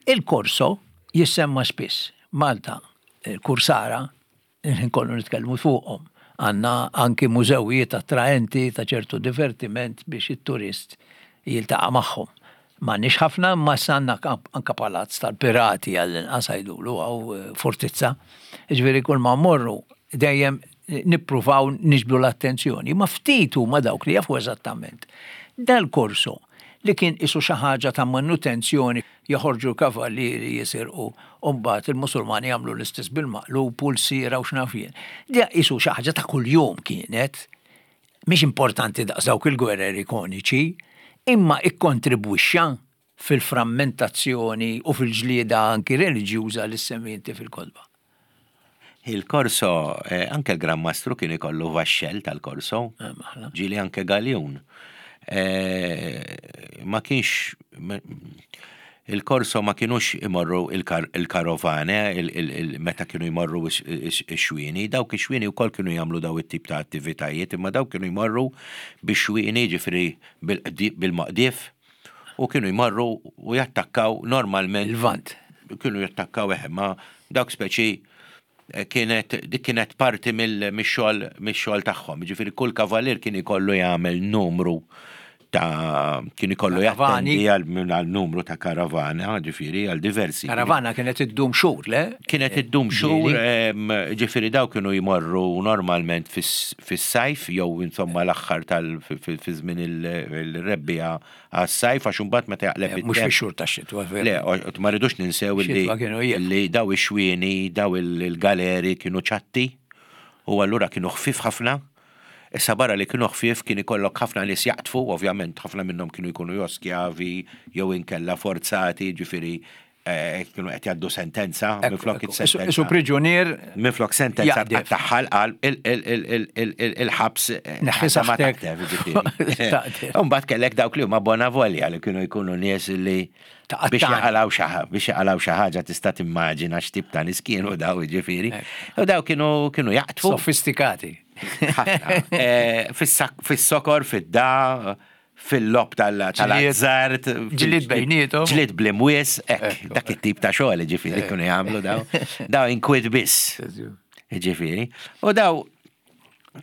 Il-Korso jissemma spiss. Malta, il-Kursara, nkollu nitkellmu fuqhom. Għandna anki mużewijiet attraenti ta' ċertu divertiment biex it-turist jiltaqa' magħhom. M'għandniex ħafna, ma sanna anka palazz tal-pirati għall-inqas għajdulu għaw eh, fortizza. Ġifieri kull ma mmorru dejjem nippruvaw niġbdu l-attenzjoni. Ma ftit huma dawk li jafu eżattament. Dal-korso li kien isu xi ħaġa ta' manutenzjoni, joħorġu kavallieri jisirqu u mbagħad il-Musulmani jagħmlu l-istess bil-maqlub, pulsira u x'naf jien. Di isu xi ħaġa ta' kuljum kienet, mhix importanti daqs dawk il-gwerer ikoniċi, imma ikkontribwixxa fil-frammentazzjoni u fil-ġlieda anki reliġjuża li semmi fil-kotba. Il-korso, eh, anke l-Gran Mastru kien ikollu vaxxell tal-korso, Eh, maħla. ġieli anke galjun. Eh, ma kienx il-korso ma kienux imorru il-karovane, meta kienu jmorru ix-xwieni, dawk ix-xwieni wkoll kienu jagħmlu daw it-tip ta' attivitajiet, imma dawk kienu jmorru bix-xwieni, ġifieri bil-maqdif, u kienu jmorru u jattakkaw normalment. Il-Lvant. Kienu jattakkaw eħe, ma dawk speċi eh, kienet dik kienet parti mill-xogħol mix-xogħol tagħhom. Ġifieri kull kavalier kien ikollu jagħmel numru ta' kien ikollu Karavani. jattendi għal għal numru ta' karavana, ġifieri għal diversi. Karavana kienet iddum xhur, le? Kienet iddum xhur, em, ġifieri daw kienu jmorru normalment fis- fis-sajf jew insomma l-aħħar tal fi fi żmien il-rebbiegħa għas-sajf, għax imbagħad meta jaqleb Eh, Mhux it-temp- fix-xhur tax-xitwa, veru. Le, o- ma rridux ninsew li Xitwa kienu jieqfu. li daw ix-xwieni, daw il-galeri kienu ċatti u allura kienu ħfif ħafna. Issa barra li kienu ħfief kien ikollok ħafna nies jaqtfu, ovvjament ħafna minnhom kienu jkunu jew skjavi jew inkella forzati, ġifieri eh, kienu qed jgħaddu sentenza, minflok Isu it-sentenza. priġunier Minflok sentenza Jaqdef. tagħha għal il-ħabs eh, Neħħi ħadd ma saħtek. taqtef, ġifieri. Taqtef. Imbagħad kellek dawk li huma bona volja li kienu jkunu nies li Ta' biex qattani. jaqalaw xi ħa- biex jaqalaw xi ħaġa tista' timmaġina x'tip ta' nies kienu daw, ġifieri. U daw kienu kienu jaqtfu sofistikati. ħafna. Eh, fis-sak- Fis-sokor, fid-da, fil-lob tal-azzart. Ġlied bejniethom. Ġlied bl-imwies, ek, Ekku. dak it-tip ta' xogħol ġifieri kienu jagħmlu daw. Daw inkwit biss. Ġifieri. U daw,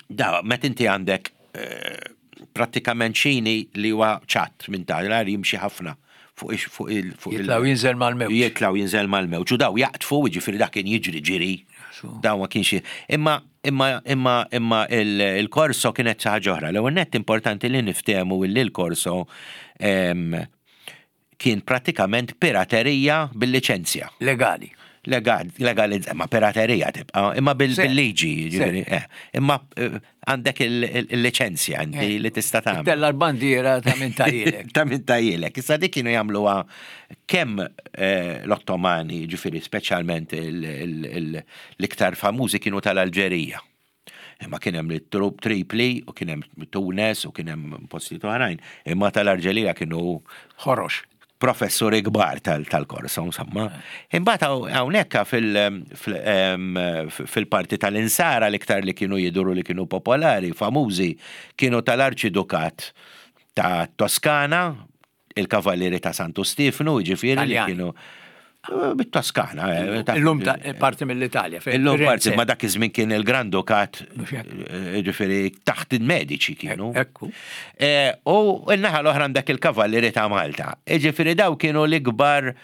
daw, met inti għandek eh, prattikament xini li huwa ċatt minn ta' l jimxi ħafna fuq ix- fuq il fuq il- Jitlaw jinżel mal-mewġ. Jitlaw jinżel mal-mewġ. U daw jaqtfu, ġifieri dak kien jiġri ġiri. Daw ma kienx. Imma imma imma imma il- il-korso kienet xi ħaġa oħra. L-ewwel nett importanti li niftehmu illi l-korso em, kien pratikament piraterija bil-liċenzja. Legali. Legal, legalizz, ma piraterija tibqa, imma bil- Se. bil-liġi, ġifieri, eh, imma eh, għandek il-liċenzja inti li tista' tagħmel. Tella l-bandiera ta' minn tajilek. Ta' minn tajilek. Issa dik kienu jagħmluha kemm eh, l-Ottomani, ġifieri speċjalment il- il- il- l-iktar famużi kienu tal-Alġerija. Imma kien hemm it-trup Tripli u kien hemm Tunes u kien hemm postijiet oħrajn. Imma tal-Alġerija kienu Ħorox. Professuri kbar tal- tal-korso, insomma. Imbagħad hawn- hawnhekk fil- fil- em, fil-parti tal-insara l-iktar li kienu jiduru li kienu popolari, famużi, kienu tal-Arċidukat ta' Toskana, il-Kavallieri ta' Santu Stefnu, ġifieri li Taljani. kienu eh, bit-Toskana. eh, ta' Illum ta' parti mill-Italja. fejn Illum Firenze. parti, ma dak iż-żmien kien il-Grandukat, Mhux hekk. eh, ġifieri taħt il-mediċi kienu. Ekku. Eh, U n-naħa l-oħra għandek il-Kavallieri ta' Malta. Ġifieri daw kienu l-ikbar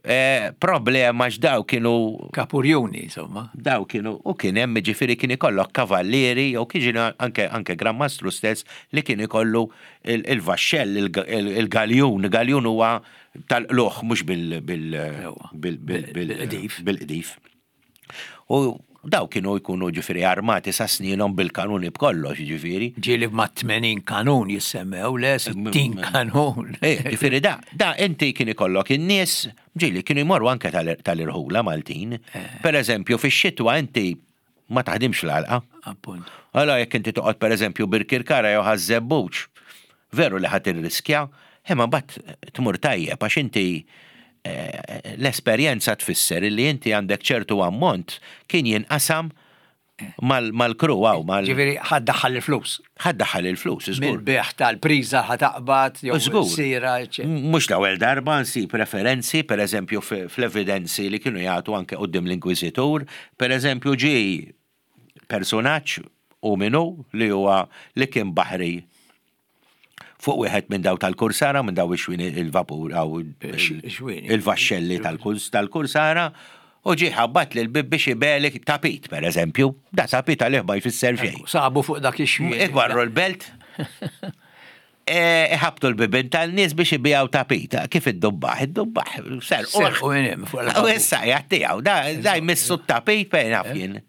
eh, problema x'daw kienu Kapurjuni, insomma. daw kienu u kien hemm, ġifieri kien ikollok kavallieri jew kien anke anke Gran Mastru stess li kien ikollu il- il-vaxxell, il- il-galjun, galjun huwa tal-qluħ mhux bil bil Ewa. bil bil bil Bil-qdif. bil-qdif. U daw kienu jkunu ġifieri armati sa sninhom bil-kanuni b'kollox, ġifieri. Ġieli ma' tmenin kanun jissemmew, le sittin kanun. Eh, Ġifieri da, da inti kien ikollok in-nies, ġieli kienu jmorru anke tal- tal-irħula Maltin. Per eżempju, fix-xitwa inti ma taħdimx l-għalqa. Appunt. Allora jekk inti toqgħod pereżempju Birkirkara jew Ħaż-Żebbuġ, veru li ħadd irriskja, imma mbagħad tmur tajjeb għax inti eh, l-esperjenza tfisser li inti għandek ċertu ammont kien jinqasam mal- mal-kru għaw, mal Ġifieri ħad daħħal il-flus. ħad daħal il-flus, żgur. Mill-beħ tal-priża ħa taqbad, jew Żgur. sira, eċċetera. Mhux l-ewwel darba nsib referenzi, per eżempju fl-evidenzi li kienu jagħtu anke quddiem l-Inkwiżitur, per eżempju ġi personaġġ u minu li huwa li kien baħri Fuq wieħed minn daw tal-Kursara, minn daw ix-xwini il-vapur aw Xwini. il-vaxxelli tal-Kursara, u ġie ħabbat lil bib biex ibigħli tapit, per eżempju. Da tapit għalih ma jfisser xejn. Sabu fuq dak ix-xwien. Ikbarru l-belt, e, ħabtu l-bibin tal-nies biex ibijaw tapit. Kif id-dubbaħ? Id-dubbaħ, ser. Serqu minn hemm fuq U il-vapur. issa jgħattijaw, da da jmissu t-tapit fejn naf jien.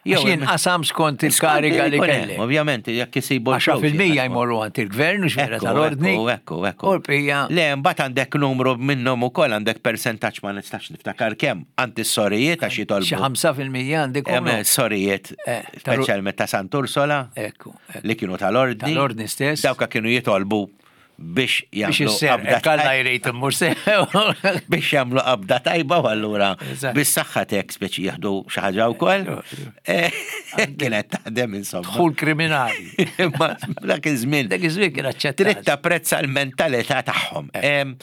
Għax jinqasam skont il-kariga li Ikun hemm, kellek. Ovvjament, jekk isibu Għaxa l-flus, fil-mija jaqsmu. jmorru għand il-gvern u xmera Ekku, tal-ordni. Ekku, ekku, ekku. U l-bqija. Le, mbagħad għandek numru minnhom ukoll għandek percentaġġ ma nistax niftakar kemm għand is-sorijiet għax Xi jitolbu. ħamsa fil-mija għandek Hemm sorijiet, Eh, tal- speċjalment ta' Sant'Ursola, Ekku, ekku. li kienu tal-ordni. Tal-ordni stess. Dawka kienu jitolbu biex Biex jagħmlu isser, qabda kalla tajba. jrejt immur sew. Biex jagħmlu qabda tajba u allura Eżatt. bis-saħħa tek speċi jieħdu xi ħaġa wkoll. Eh, Kienet taħdem insomma. Dħul kriminali. Imma dak iż-żmien Dak iż-żmien kien trid aċċettat. tapprezza l-mentalità tagħhom. Em,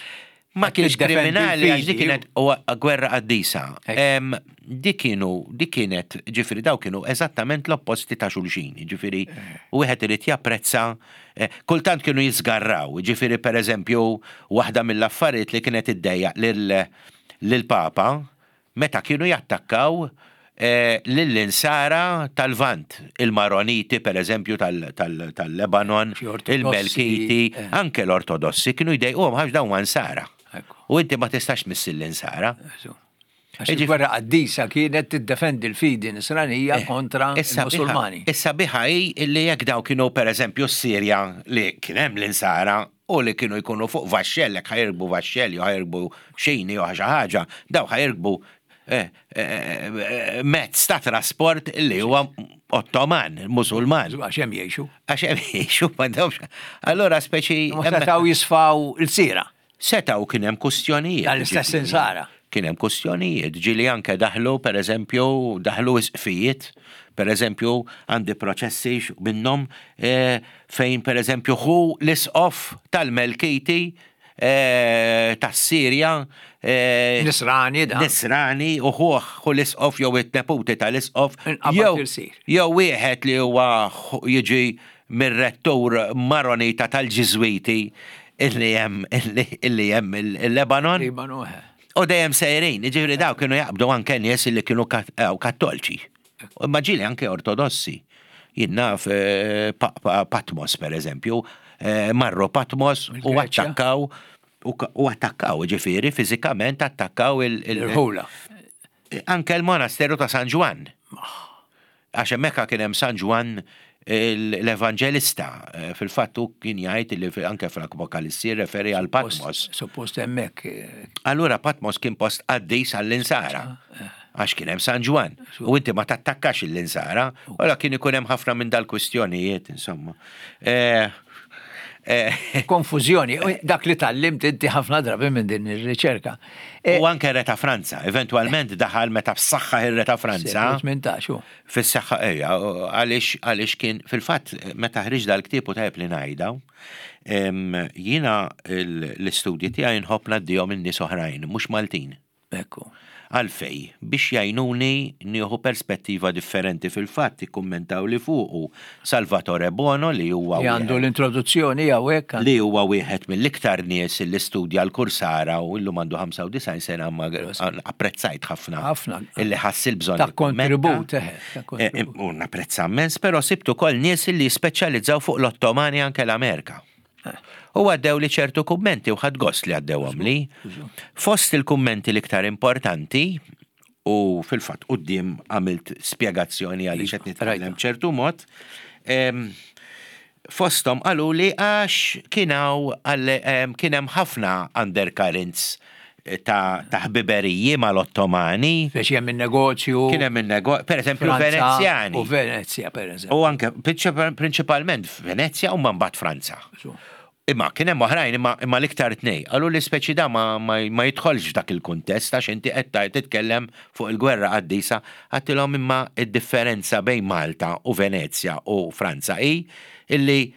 Ma Qed kienx tiddefendi kriminali għax dik l-fidi. kienet huwa gwerra qaddisa. Ekk. Em, Dik kienu, dik kienet, ġifieri daw kienu eżattament l-opposti ta' xulxin, ġifieri wieħed irid japprezza, eh, kultant kienu jisgarraw, ġifieri per eżempju waħda mill-affarijiet li kienet iddejjaq lil- lil-Papa meta kienu jattakkaw eh, lill-insara tal-Vant, il-Maroniti per eżempju tal-Lebanon, Xi Ortodossi, il-Melkiti, eh. anke l-Ortodossi kienu jdejquhom għax dawn insara. Ekku. U inti ma tistax missil l-insara. Għax il-gwerra qaddisa kienet tiddefendi l-fidi nisranija kontra Issa biħa- il-Musulmani. Issa biħa hi illi jekk daw kienu per eżempju s-Sirja li kien hemm l-insara u li kienu jkunu fuq vaxxell, jekk ħajrbu vaxxell jew ħajrbu xini jew xi ħaġa, daw ħajrbu eh, eh, eh, mezz ta' trasport li huwa Ottoman, Musulman. Għax hemm jgħixu. Għax hemm jgħixu m'għandhomx. Allora speċi Ma hemmhekk- setgħu jisfaw il-sira. Setaw kien hemm kustjonijiet. Tal-istess ġifieri. insara. Kien hemm kustjonijiet, ġili anke daħlu per eżempju, daħlu isqfijiet, per eżempju għandi proċessi x- minnhom eh, fejn per eżempju hu l-isqof tal-Melkiti eh, tas-Sirja eh, Nisrani da. Nisrani u hu hu l-isqof jew it-neputi tal-isqof Inqabad jew il-sir. jew wieħed li huwa hu- jiġi mir-rettur Maronita tal-Ġiżwiti illi hemm illi- illi hemm il-Lebanon Libanu, eh. u dejjem sejrin, jiġifieri daw kienu jaqbdu anke nies illi kienu kat- eh, kattolċi. U Ma ġieli anke ortodossi. Jien naf eh, Pa- Pa- Patmos per eżempju, eh, marru Patmos u Il-Greċja. attakkaw u ka- u attakkaw, ġifieri, fiżikament attakkaw il- il- Il-ħula. anke l-monasteru ta' San Ġwann. Għax hemmhekk kien hemm San Ġwann l-Evanġelista. Eh, Fil-fatt hu kien jgħid li fi- anke fl-Apokalissi referi għal Patmos. Suppost hemmhekk. eh, Allura Patmos kien post qaddis għall-insara. Għax kien hemm San Ġwann. U inti ma tattakkax l-insara, Allura kien ikun hemm ħafna minn dal-kwistjonijiet, insomma. Eh, eh, Konfużjoni. U Dak li tallimt inti ħafna drabi minn din ir-riċerka. Eh, U anke re ta' Franza, eventualment daħal meta b'saħħa ir-re ta' Franza. tmintax, u. Fis-saħħa ejja, għaliex għaliex kien fil-fatt meta ħriġ dal-ktieb u tajjeb li ngħidha, em, jiena l- l-istudji tiegħi nħobb ngħaddihom in-nies oħrajn, mhux Maltin. Ekku. Għalfej, biex jgħinuni nieħu perspettiva differenti fil-fatt ikkummentaw li fuqu Salvatore Bono li huwa Li għandu wieħed- l-introduzzjoni hawnhekk. li huwa wieħed mill-iktar nies li studja l-kursara u llum għandu ħamsa u disgħin sena ma apprezzajt ħafna. Ħafna. Illi ħass il-bżonn. Ta' jikkummenta. kontribut, eħe, ta' Eh, kontribut. U napprezza immens, però sibtu kol nies li speċjalizzaw fuq l-Ottomani anke l-Amerika. Eh. U għaddew li ċertu kummenti u ħadd gost li għaddewhom li. Fost il-kummenti l-iktar importanti, u fil-fatt quddiem għamilt spjegazzjoni għaliex qed nitkellem Rajta. ċertu mod, em, fostom qalu li għax kienaw kien hemm ħafna undercurrents ta' ta' ħbiberiji mal-Ottomani, Biex hemm in-negozju. kien hemm in-nego- per eżempju Franza Venezjani. U Venezja, per eżempju. U anke prinċip- prinċipalment Venezja u mbagħad Franza. Su. Imma kien hemm oħrajn imma, imma l-iktar tnej. Qalu li speċi da ma, ma, ma jidħolx f'dak il-kuntest għax inti qed ta- titkellem fuq il-gwerra qaddisa għattilhom imma id-differenza bejn Malta u Venezja u Franza hi illi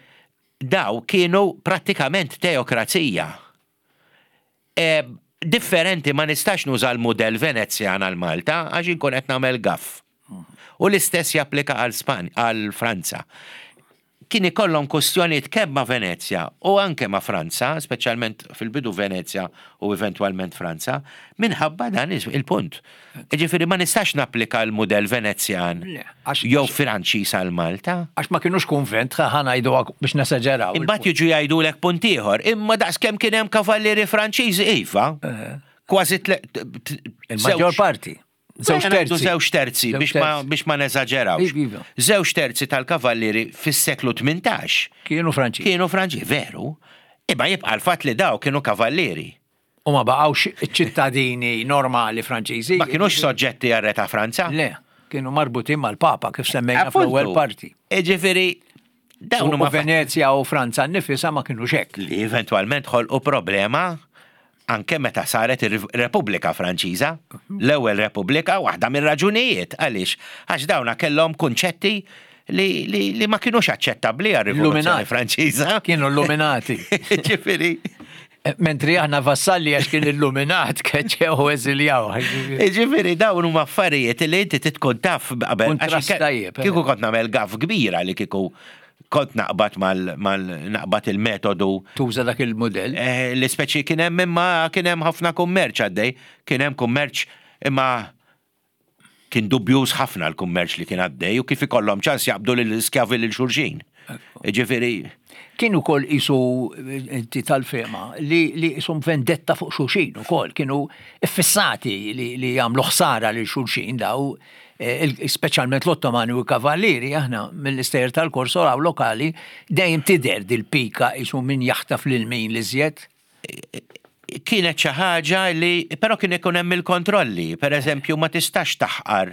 daw kienu prattikament teokrazija. E, differenti ma nistax nuża l-mudell Venezjan għal Malta għax inkun qed nagħmel gaff. U l-istess japplika għal Span għal Franza. Kien ikollhom kwestjonijiet kemm ma' Venezja u anke ma' Franza, speċjalment fil-bidu Venezja u eventwalment Franza, minħabba dan il-punt. Ġifieri ma nistax napplika l-mudell Venezjan jew Franċiż għal Malta. Għax ma kienux kunvent, ħa ngħidu biex nesaġeraw. Imbagħad jiġu jgħidulek punt ieħor, imma daqs kemm kien hemm kavallieri Franċiżi iva. Kważi Il-maġġor parti. Żewġ terzi. Żewġ terzi biex ma biex ma neżaġerawx. Iva. Żewġ terzi tal-kavallieri fis-seklu tmintax. Kienu Franċiżi. Kienu Franċiżi, veru. Imma jibqa' l-fatt li daw kienu kavallieri. U ma baqgħux ċittadini normali Franċiżi. Ma kienux soġġetti għar-re ta' Franza. Le, kienu marbutin mal-Papa kif semmejna fl-ewwel parti. Ġifieri dawn huma Venezja u Franza nnifisha ma kienux hekk. Li eventwalment ħolqu problema anke meta saret ir-Repubblika Franċiża, l-ewwel Repubblika, waħda mir-raġunijiet għaliex għax dawna kellhom kunċetti li, li, li ma kienux aċċettabbli għar-Rivoluzzjoni Franċiża. Kienu illuminati. Ġifieri. Mentri aħna vassalli għax kien illuminat keċċew u eżiljaw. Ġifieri dawn huma affarijiet li inti titkun taf qabel. Kieku kont nagħmel gaffe kbira li kieku kont naqbad mal, mal naqbad il-metodu. Tuża dak il-modell. Eh, L-ispeċi kien hemm imma kien hemm ħafna kummerċ għaddej, kien hemm kummerċ imma kien dubjuż ħafna l-kummerċ li kien għaddej u kif ikollhom ċans jaqbdu lill-iskjavi lil xulxin. Ġifieri. Kienu kol isu inti tal-fema li, li isum vendetta fuq xulxin ukoll, kienu iffissati li, li jagħmlu ħsara lil xulxin daw, eh, speċjalment l-Ottomani u l-Kavallieri, aħna mill-istejjer tal-Korso għaw lokali dejjem tidher dil-pika isu min jaħtaf lil min li żjed. Kienet xi ħaġa li però kien ikun hemm il-kontrolli. Per eżempju, ma tistax taħqar,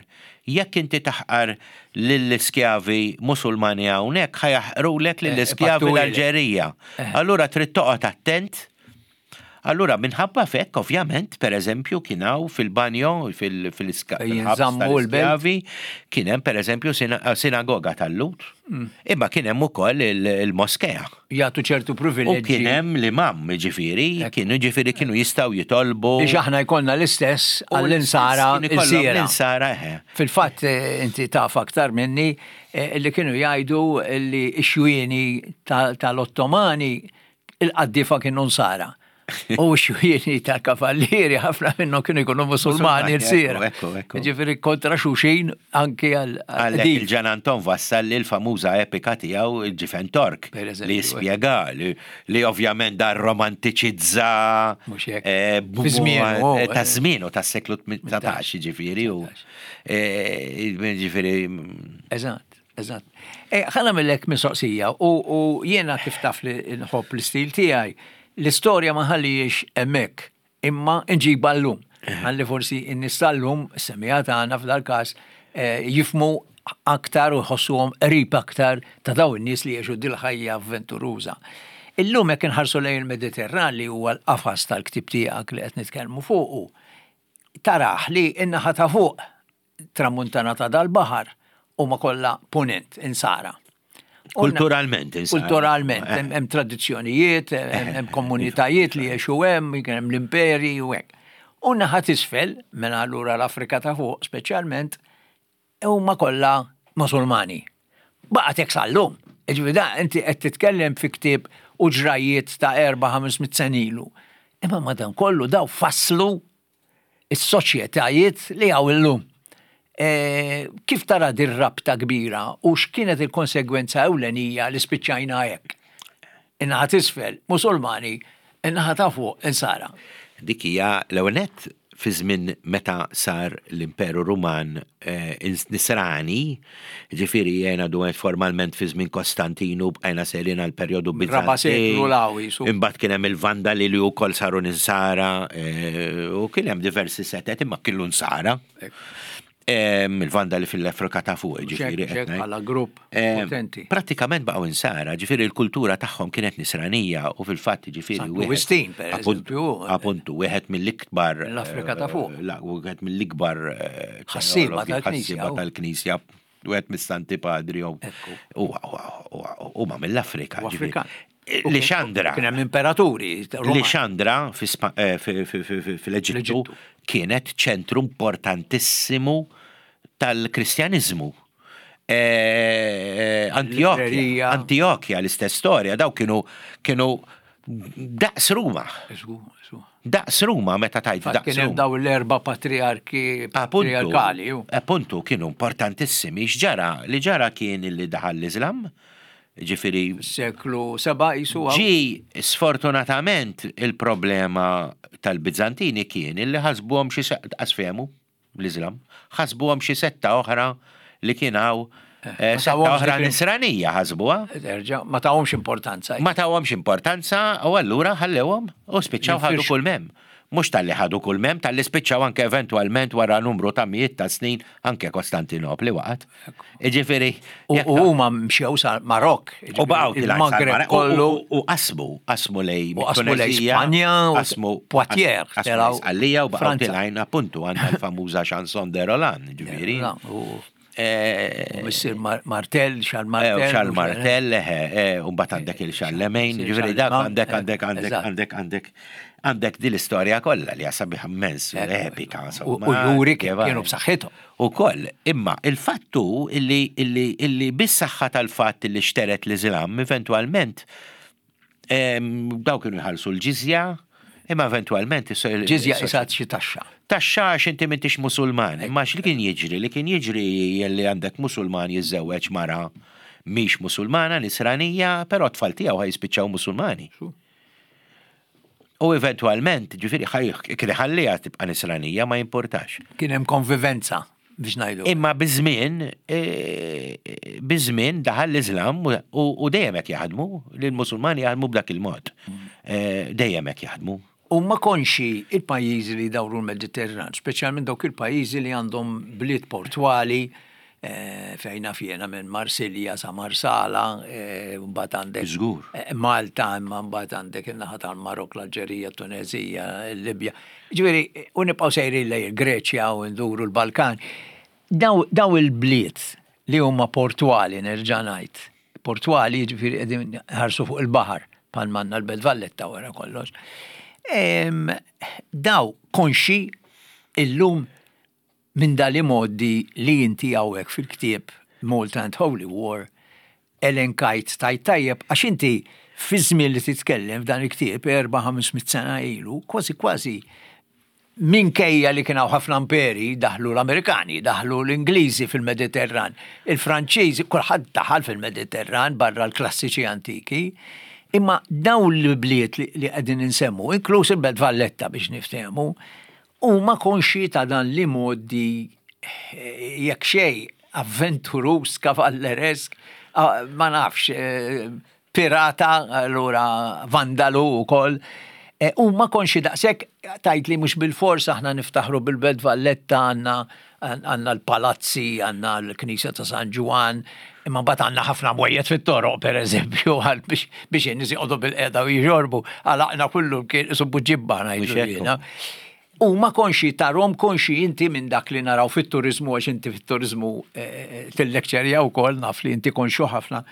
jekk inti taħqar lill-iskjavi Musulmani hawnhekk ħa jaħqrulek lill-iskjavi l-Alġerija. Allura trid toqgħod attent. Allura minħabba fekk, ovvjament, per eżempju, kien hawn fil-banjo, fil-iskjavi, kien hemm per eżempju sinagoga tal-Lhud, imma kien hemm ukoll il-moskea. Jagħtu ċertu privileġġi. U kien hemm l-imam, ġifieri, kienu ġifieri kienu jistgħu jitolbu. Biex aħna jkollna l-istess għall-insara il-sira. L-insara, eħe. Fil-fatt, inti taf aktar minni, li kienu jgħidu li x-xwieni tal-Ottomani il-qaddifa kienu nsara. U xwieni tal-kavallieri ħafna minnhom kienu jkunu Musulmani l-sira. Ġifieri kontra xulxin anki għal. Għalhekk il-Ġan Anton Vassalli l-famuża epika tiegħu il-Ġifen Tork li jispjega li ovvjament dar romantiċizza ta' żmien u tas-seklu tmintax, ġifieri u ġifieri. Eżatt. Eżatt. Ħa nagħmillek mistoqsija u jiena kif taf li nħobb l-istil tiegħi, l-istorja ma ħallijiex hemmhekk, imma nġibha llum. Ħalli forsi n-nies tal-lum, semmiegħa tagħna f'dal-każ, jifhmu aktar u jħossuhom qrib aktar ta' daw in-nies li jgħixu dil-ħajja avventuruża. Illum jekk inħarsu lejn il-Mediterran li huwa l-qafas tal-ktib tiegħek li qed nitkellmu fuqu, taraħ li n-naħa ta' fuq tramuntana ta' dal-baħar huma kollha punent, insara. Kulturalment, insara. Kulturalment, hemm tradizzjonijiet, hemm komunitajiet li jgħixu hemm, kien hemm l-imperi u hekk. U naħa t'isfel, mela allura l-Afrika ta' fuq speċjalment, huma kollha Musulmani. Baqgħet hekk sal-lum. Ġifieri da inti qed titkellem fi ktieb u ġrajiet ta' erba' ħames mitt sena ilu. Imma madankollu daw fasslu is-soċjetajiet li hawn illum. Kif tara dir rabta kbira u x'kienet il-konsegwenza ewlenija li spiċċajna hekk? In-naħa t'isfel Musulmani, in-naħa ta' fuq insara. Dik hija l-ewwel nett fi żmien meta sar l-Imperu Ruman nisrani, ġifieri jiena dwar formalment fi żmien Kostantinu bqajna sejrin għal perjodu Bizantin. Imbagħad kien hemm il-Vandali li wkoll saru ninsara u kien hemm diversi setet imma kienu nsara. Il-Vandali fil-Afrika ta' fuq, ġifieri. Bħala grupp potenti. Prattikament baqgħu insara, ġifieri l-kultura tagħhom kienet nisranija u fil-fatt ġifieri. Wistin, per eżempju. Appuntu, wieħed mill-ikbar. L-Afrika ta' fuq. Wieħed mill-ikbar ħassieba tal-Knisja. Tal-Knisja, wieħed mis-Santi Padri huma mill-Afrika. Lixandra. Kien hemm imperaturi. Lixandra fil-Eġittu kienet ċentru importantissimu tal-Kristjaniżmu. Eh, Antiochia, Librerija. Antiochia l-istess storja, daw kienu kienu daqs Ruma. Isu, isu. Daqs Ruma meta tajt Fatt daqs kien hemm Ruma. daw l-erba' patriarki Appuntu, patriarkali. ju. appuntu kienu importantissimi. X'ġara? Li ġara kien li daħal l-Islam, ġifieri Seklu seba' jisu għaw. Ġi, sfortunatament, il-problema tal-Bizantini kien illi ħasbuhom xi se- qas fehmu l-Islam, ħasbuhom xi setta oħra li kien hawn eh, ma setta tawhomx oħra dik il- nisranija ħasbuha. Erġa, ma tawhomx importanza. Ma tawhomx importanza u allura ħallewhom u spiċċaw ħadu Jinfirxu. kull mem. Mhux talli ħadu kull mem, talli spiċċaw anke eventwalment wara numru ta' mijiet ta' snin anke Kostantinopli waqgħet. Iġifieri, U jekk u huma mxew sa Marok. U baqgħu tilgħu il-Maghreb sal-Marok. kollu. U- U u qasmu, qasmu lej U qasmu lej Tunezija, Spanja u qasmu Poitiers, qasmu telgħu lej Sqallija u baqgħu Franza. tilgħin appuntu għandna l-famuża chanson de Roland, ġifieri. La, U Eh, u Missir Mar- Martel, Charles eh, Martel. u Charles Martel, eh, eh, u mbagħad għandek il-Charlemagne, Sir ġifieri dak Charlemagne, għandek eh, għandek għandek eżatt. għandek għandek għandek din l-istorja kollha li sabiħa immens, epika, U insomma. u juri kif Kif kienu b'saħħithom. U koll, imma il-fattu illi, illi, illi bis-saħħa tal-fatt illi xteret l-Islam, eventualment, em, daw kienu jħallsu l-ġizja, imma eventualment is- Ġizja is- isat xi taxxa. Taxxa għax inti m'intix musulman, imma x'li kien jiġri? Li kien jiġri li għandek musulman jiżżewweġ mara mhix musulmana, nisranija, però t-tfal tiegħu ħa jispiċċaw musulmani. U eventualment, ġifieri, kien ħallija tibqa' nisranija ma jimpurtax. Kien hemm konvivenza biex ngħidu. Imma biż-żmien, eh, biż-żmien daħal l-Islam u u dejjem hekk jaħdmu, li l-Musulmani jaħdmu b'dak il-mod. Eh, Dejjem hekk jaħdmu. U ma konxi il-pajjiżi li dawru l-Mediterran, speċjalment dawk il-pajjiżi li għandhom bliet portwali, eh, fejn naf jiena minn Marsilja sa Marsala, eh, mbagħad għandek Żgur. eh, Malta, imma mbagħad għandek in-naħa tal-Marok, l-Alġerija, Tunezija, il-Libja. Ġifieri, u nibqgħu sejrin lejn il-Greċja u nduru l-Balkan. Daw, daw il-bliet li huma portwali nerġa' ngħid. Portwali ġifieri qegħdin ħarsu fuq il-baħar bħal manna l-Belt Valletta wara kollox. Em, Daw konxi illum minn dali modi li inti hawnhekk fil-ktieb Malta and Holy War elenkajt tajt tajjeb għax inti fi żmien li titkellem f'dan il-ktieb erba' ħames mitt sena ilu, kważi kważi minkejja li kien hawn ħafna imperi daħlu l-Amerikani, daħlu l-Ingliżi fil-Mediterran, il-Franċiżi, kulħadd daħal fil-Mediterran barra l-klassiċi antiki, imma dawn l-bliet li li qegħdin insemmu, inkluż il-Belt Valletta biex niftehmu, huma konxi ta' dan li modi eh, jekk xej avventurus, kavalleresk, ah, ma nafx, eh, pirata, allura vandalu u koll. U ma konxi daqsek tajt li mhux bil-fors aħna niftaħru bil-Belt Valletta għandna għandna l-palazzi, għandna l-Knisja ta' San Ġwann, imma mbagħad għandna ħafna mwejjed fit-toroq per eżempju għal biex biex in-nies joqogħdu bil-qeda u jixorbu, għalaqna kullu kien isu buġibba ngħidu Mhux hekk. jiena. U ma konxi tarom konxi inti minn dak li naraw fit-turizmu għax inti fit-turizmu eh, til-lekċerja u koll naf li inti konxu ħafna.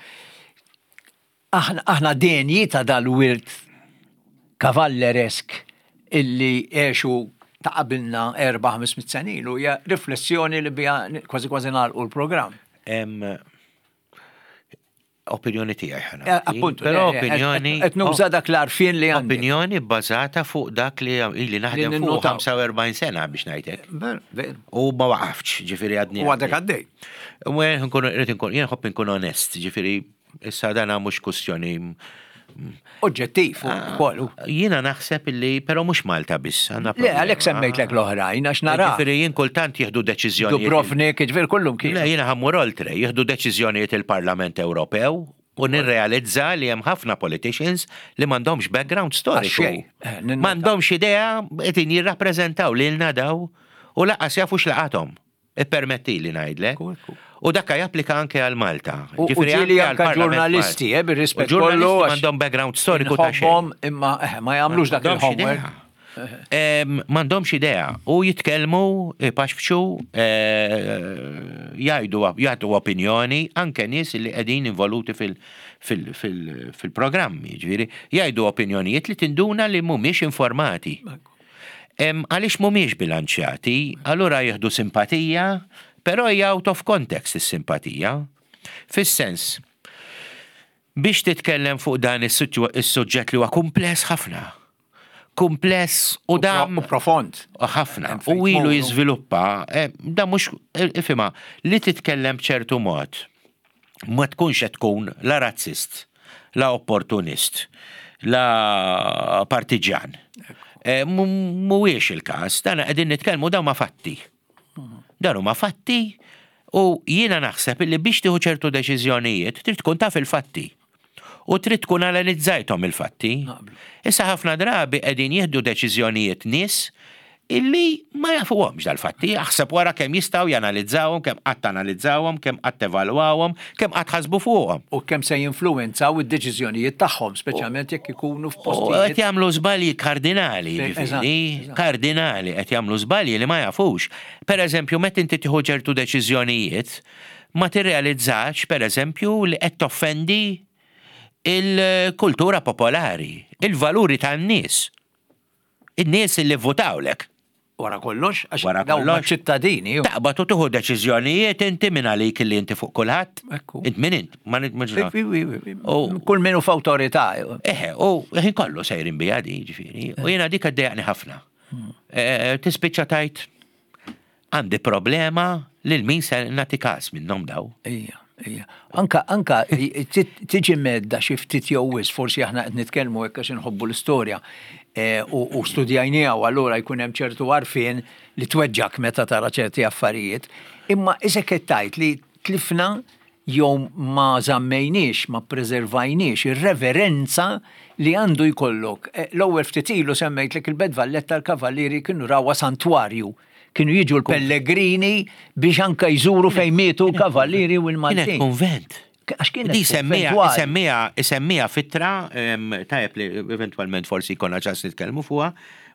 Aħna, aħna denji ta' dal-wirt kavalleresk illi għexu ta' qabilna erba' ħames mitt sena ilu hija riflessjoni li bija kważi kważi nagħlqu l-programm. Em, Opinjoni tiegħi ħana. Eh, Appuntu, Però eh, eh, opinjoni. qed nuża dak l-arfien li għandek. Opinjoni bbażata fuq dak li ili naħdem Li fuq ninnotaw. ħamsa u erbgħin sena biex ngħidlek. Ver, ver. U ma waqaftx, ġifieri għadni. U għadek għaddej. U jien nkun irrid inkun jien nħobb inkun onest, ġifieri issa dana mhux kwestjoni. Oġġettiv u kollu. Jiena naħseb illi però mhux Malta biss. għandna Le, problema. għalhekk semmejtlek l-oħrajn, għax nara. Ġifieri jien kultant jieħdu deċiżjonijiet. Dubrovnik, ġifieri kullum kien. Le, jiena ħa mmur oltre, jieħdu deċiżjonijiet il-Parlament Ewropew u nirrealizza li hemm ħafna politicians li m'għandhomx background storiku. Għax xejn, eh, ninnota. M'għandhomx idea qegħdin jirrappreżentaw lilna daw u lanqas jafu x'laqathom. Ippermetti li ngħidlek. Ekku, ekku. U dakka japplika anke għal Malta. U u Ġifieri ġieli anke anka għall-Parlament ġurnalisti, Malti. eh, bir-rispett U ġurnalisti kollu, għax m'għandhom background storiku ta' xejn. Inħobbhom imma eh, ma jagħmlux dak M'għandhomx il-homework. idea. Em, M'għandhomx idea. U jitkellmu, ipaxpxu, eh, jgħidu jagħtu opinjoni anke nies li qegħdin involuti fil- fil- fil- fil-programmi, ġifieri, jgħidu opinjonijiet li tinduna li mhumiex informati. Em, Għaliex mhumiex bilanċjati, allura jieħdu simpatija Però hija out of context is-simpatija. Fis-sens, biex titkellem fuq dan is-suġġett li huwa kumpless ħafna. Kumpless u dam. U profond. Ħafna. U ilu jiżviluppa, eh, da mhux, eh, ifhimha, li titkellem b'ċertu mod ma tkunx qed tkun la razzist, la opportunist, la partiġan. Eh, mhuwiex il-każ, dan qegħdin nitkellmu, dawn ma fatti. Dan huma fatti u jiena naħseb li biex tieħu ċertu deċiżjonijiet trid tkun taf il-fatti. U trid tkun analizzajthom il-fatti. Issa ħafna drabi qegħdin jieħdu deċiżjonijiet nies illi ma jafuhomx dal-fatti, aħseb wara kemm jistgħu janalizzawhom, kemm qatt analizzawhom, kemm qatt evalwawhom, kemm qatt ħasbu fuqhom. U kemm se jinfluwenzaw id-deċiżjonijiet tagħhom, speċjalment jekk ikunu f'postijiet. Qed jagħmlu żbalji kardinali, ġifieri, kardinali qed jagħmlu żbalji li ma jafux. Per eżempju, meta inti tieħu ċertu deċiżjonijiet, ma tirrealizzax, per eżempju, li qed toffendi il-kultura popolari, il-valuri tan-nies. In-nies li votawlek. Wara kollox, għax wara kollox ċittadini. Taqbad u tieħu deċiżjonijiet inti minn għalik li inti fuq kulħadd. Int min int? Ma Kull min hu f'awtorità. Eħe, u ħin kollu sejrin bija di, ġifieri. U jiena dik għaddejjaqni ħafna. Hmm. Eh, tispiċċa tajt għandi problema lil min se nagħti każ minnhom daw. Ija. Ija. Anka, anka tiġi medda xi ftit jew wisq, forsi aħna qed nitkellmu hekk għax inħobbu l-istorja eh, u studjajniha u allura jkun hemm ċertu għarfien li tweġġak meta tara ċerti affarijiet. Imma isek qed tgħid li tlifna jew ma żammejniex, ma preservajniex ir-reverenza li għandu jkollok. Eh, l-ewwel ftit ilu semmejtlek il-Belt Valletta, l-Kavallieri kienu rawha santwarju. Kienu jiġu l-pellegrini biex anka jżuru fejn mietu l-Kavallieri u l-Maltin. Kienet konvent. Għax kienet Di semmija, konventwali. semmija, semmija f'ittra, em, tajjeb li eventualment forsi jkollna ċans nitkellmu fuqha,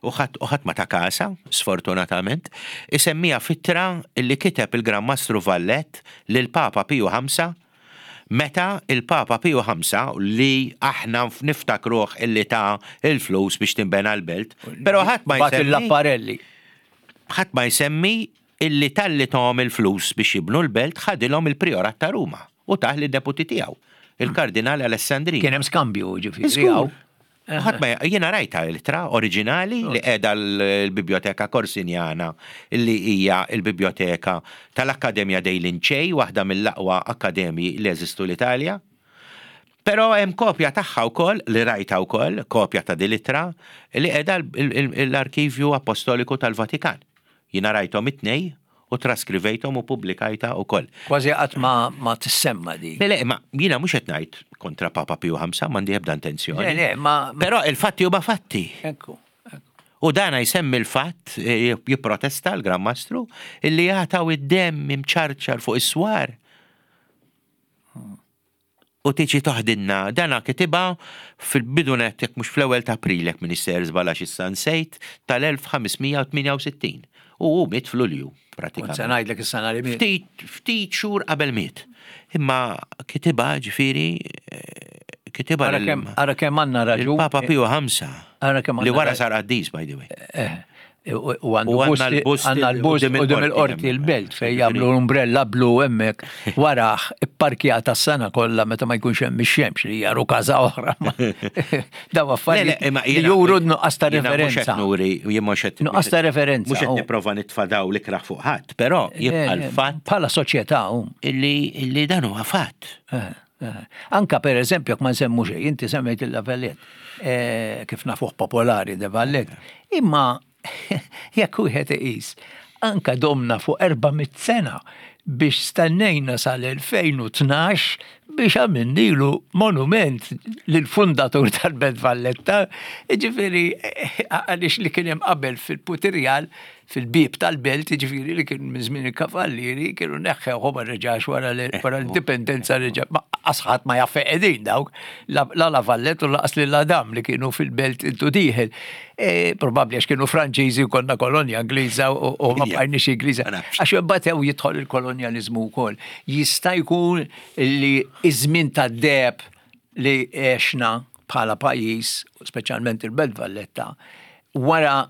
u ħadd u ħadd ma ta kasa, sfortunatament, isemmija f'ittra li kiteb il-Gran Mastru Vallet lil Papa Piju Ħamsa, meta il-Papa Piju Ħamsa li aħna niftakruh illi ta il-flus biex tinbena l-belt, però ħadd ma Bat jsemmi il-lapparelli. Ħadd ma jsemmi illi talli tahom il-flus biex jibnu l-belt ħadilhom il-priorat ta' Ruma u tah lid-deputi tiegħu, il-Kardinali Alessandrini. Kien hemm skambju, ġifieri. Żgur. Hawn. Ħadd ma jiena rajta l-ittra oriġinali li qiegħda l-Biblioteka Korsinjana, li hija l-biblioteka tal-Akkademja dei Lincei, waħda mill-aqwa akkademji li jeżistu l-Italja. Però hemm kopja tagħha wkoll li rajta wkoll, kopja ta' din l-ittra li qiegħda l-Arkivju Apostoliku tal-Vatikan. Jiena rajthom it-tnej u traskrivejthom u pubblikajta wkoll. Kważi qatt ma, ma tissemma di. Le, le, ma jiena mhux qed ngħid kontra Papa Piju Ħamsa, m'għandi ebda intenzjoni. Le, le, ma. Però il-fatti huma fatti. Ekku, ekku. U dana jsemmi l-fatt, eh, jipprotesta l-Gran Mastru, illi jagħtaw id-demm imċarċar fuq is-swar. U tiġi toħdinna, dana kitibha fil-bidunet, jekk mhux fl-ewwel ta' April, jekk Minister żbalax issa nsejt, tal-elf ħames mija u tmienja u sittin. U hu miet f'Lulju, Kont pratikament. se ngħidlek is-sena li miet. Ftit, ftit xhur qabel miet. Imma kitibha, ġifieri, eh, kitibha Ara lil- kemm ara kemm għandna raġun. il-Papa Piju Ħamsa. Ara kemm Li għandna wara ra- sar qaddis, by the way. Eh, U u għandu U għandna bust l-bust għandna l-bust quddiem quddiem il-qorti il-qorti hemm. il-belt fejn jagħmlu l-umbrella blu hemmhekk waraħ ipparkjata s-sena kollha meta ma jkunx hemm ix-xemx, li jaru każa oħra. Daw affarijiet Le, le, imma li jiena- juru nuqqas ta' jiena mhux qed referenza. nuri, jien mhux qed Nuqqas ta' referenza, Mhux qed oh. nipprova nitfa' daw l-ikraħ fuq ħadd, però jibqa' Eh, l-fatt Bħala soċjetà u. illi illi dan huwa fatt. Eh, eh. Anka per eżempju, jekk ma nsemmu xejn, inti semmejt il-La Vallette, eh, kif nafuh popolari de Vallette. Imma jekk wieħed iqis, anka domna fuq erba' mitt sena biex stennejna sal-elfejn u tnax biex għamilnilu monument lill-fundatur tal-Belt Valletta, ġifieri, għaliex li kien hemm qabel fil-Putirjal, fil-bib tal-belt, ġifieri li kien minn żmien il-kavallieri, kienu neħħew, ma reġax wara l- wara l-indipendenza reġa', ma asħat ma jaffe qegħdin dawk, la la La Vallette u laqas lil Adam li kienu fil-belt intu dieħel. E, Probabbli għax kienu Franċiżi u konna kolonja Ingliża u u ma Ija. bqajniex Ingliża. Ma nafx. Għax imbagħad hawn jidħol il-kolonjalizmu wkoll. Jista' jkun li iż-żmien tad-deheb li għexna bħala pajjiż, speċjalment il-Belt Valletta, wara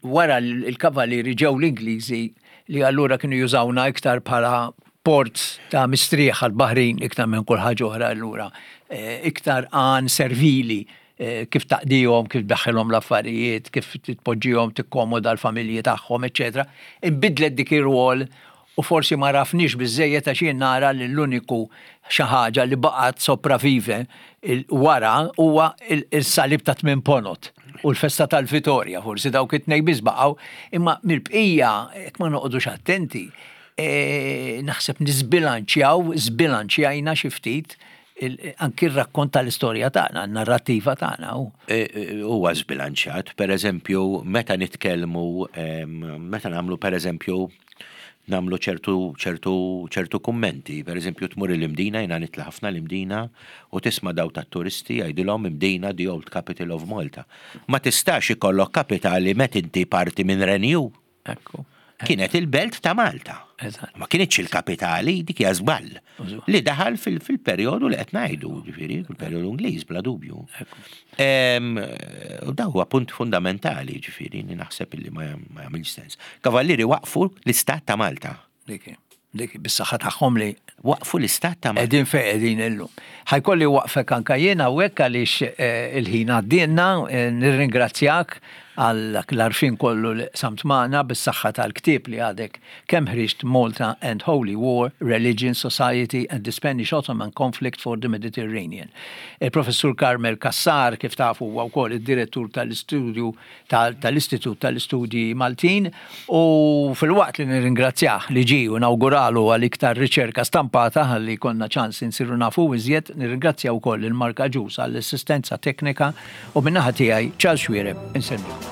wara l-kavallieri ġew l-Ingliżi li allura kienu jużawna iktar bħala port ta' mistrieħ għal-baħrin iktar minn kull ħaġa oħra allura, eh, iktar għan servili, eh, kif taqdihom, kif daħħilhom l-affarijiet, kif titpoġġihom tikkomoda l-familji tagħhom, eċetera. Inbidlet dik ir-rwol u forsi ma għarafniex biżżejjed, għax jien nara li l-uniku xi ħaġa li baqgħet sopravvive wara huwa il-salib ta' tmien ponot u l-festa tal-Vitorja, forsi dawk it-tnejn biss baqgħu, imma mill-bqija, jekk ma noqogħdux attenti, e, naħseb nisbilanċjaw, żbilanċjajna xi ftit anki r-rakkont tal-istorja tagħna, n-narrattiva tagħna. E, e, huwa żbilanċjat, per eżempju, meta nitkellmu, meta nagħmlu, per eżempju, nagħmlu ċertu ċertu ċertu kummenti, per eżempju tmur l-Imdina, jiena nitla' ħafna l-Imdina, u tisma' daw tat-turisti jgħidilhom "Imdina, the old capital of Malta". Ma tistax ikollok kapitali meta inti parti minn renju. Ekku. Kienet il-belt ta' Malta. Ma kienitx il-kapitali, dik hija żball. Li daħal fil-perjodu li qed ngħidu, ġifieri, fil-perjodu Ingliż bla dubju. U da huwa punt fundamentali, ġifieri, li naħseb li ma jagħmilx sens. Kavallieri waqfu l-Istat ta' Malta. Dik dik bis-saħħa tagħhom li waqfu l-Istat ta' Malta. Qegħdin fejn qegħdin illum. Ħa jkolli nwaqqfek anka jiena hawnhekk għaliex eh, il-ħin għaddielna, eh, nirringrazzjak għal l-għarfien kollu li qsamt magħna bis-saħħa tal-ktieb li għadek kemm ħriġt, Malta and Holy War, Religion, Society and the Spanish Ottoman Conflict for the Mediterranean. Il-Professur Carmel Cassar, kif tafu, huwa wkoll id-direttur tal-istudju tal-Istitut tal-Istudji Maltin, u filwaqt li nirringrazzjah li ġi u nawguralu għal iktar riċerka stampata ħalli jkollna ċans insiru nafu iżjed, nirringrazzja wkoll il-Marka Ġus għall-assistenza teknika u min-naħa tiegħi, Charles Xuereb, insellmilkom.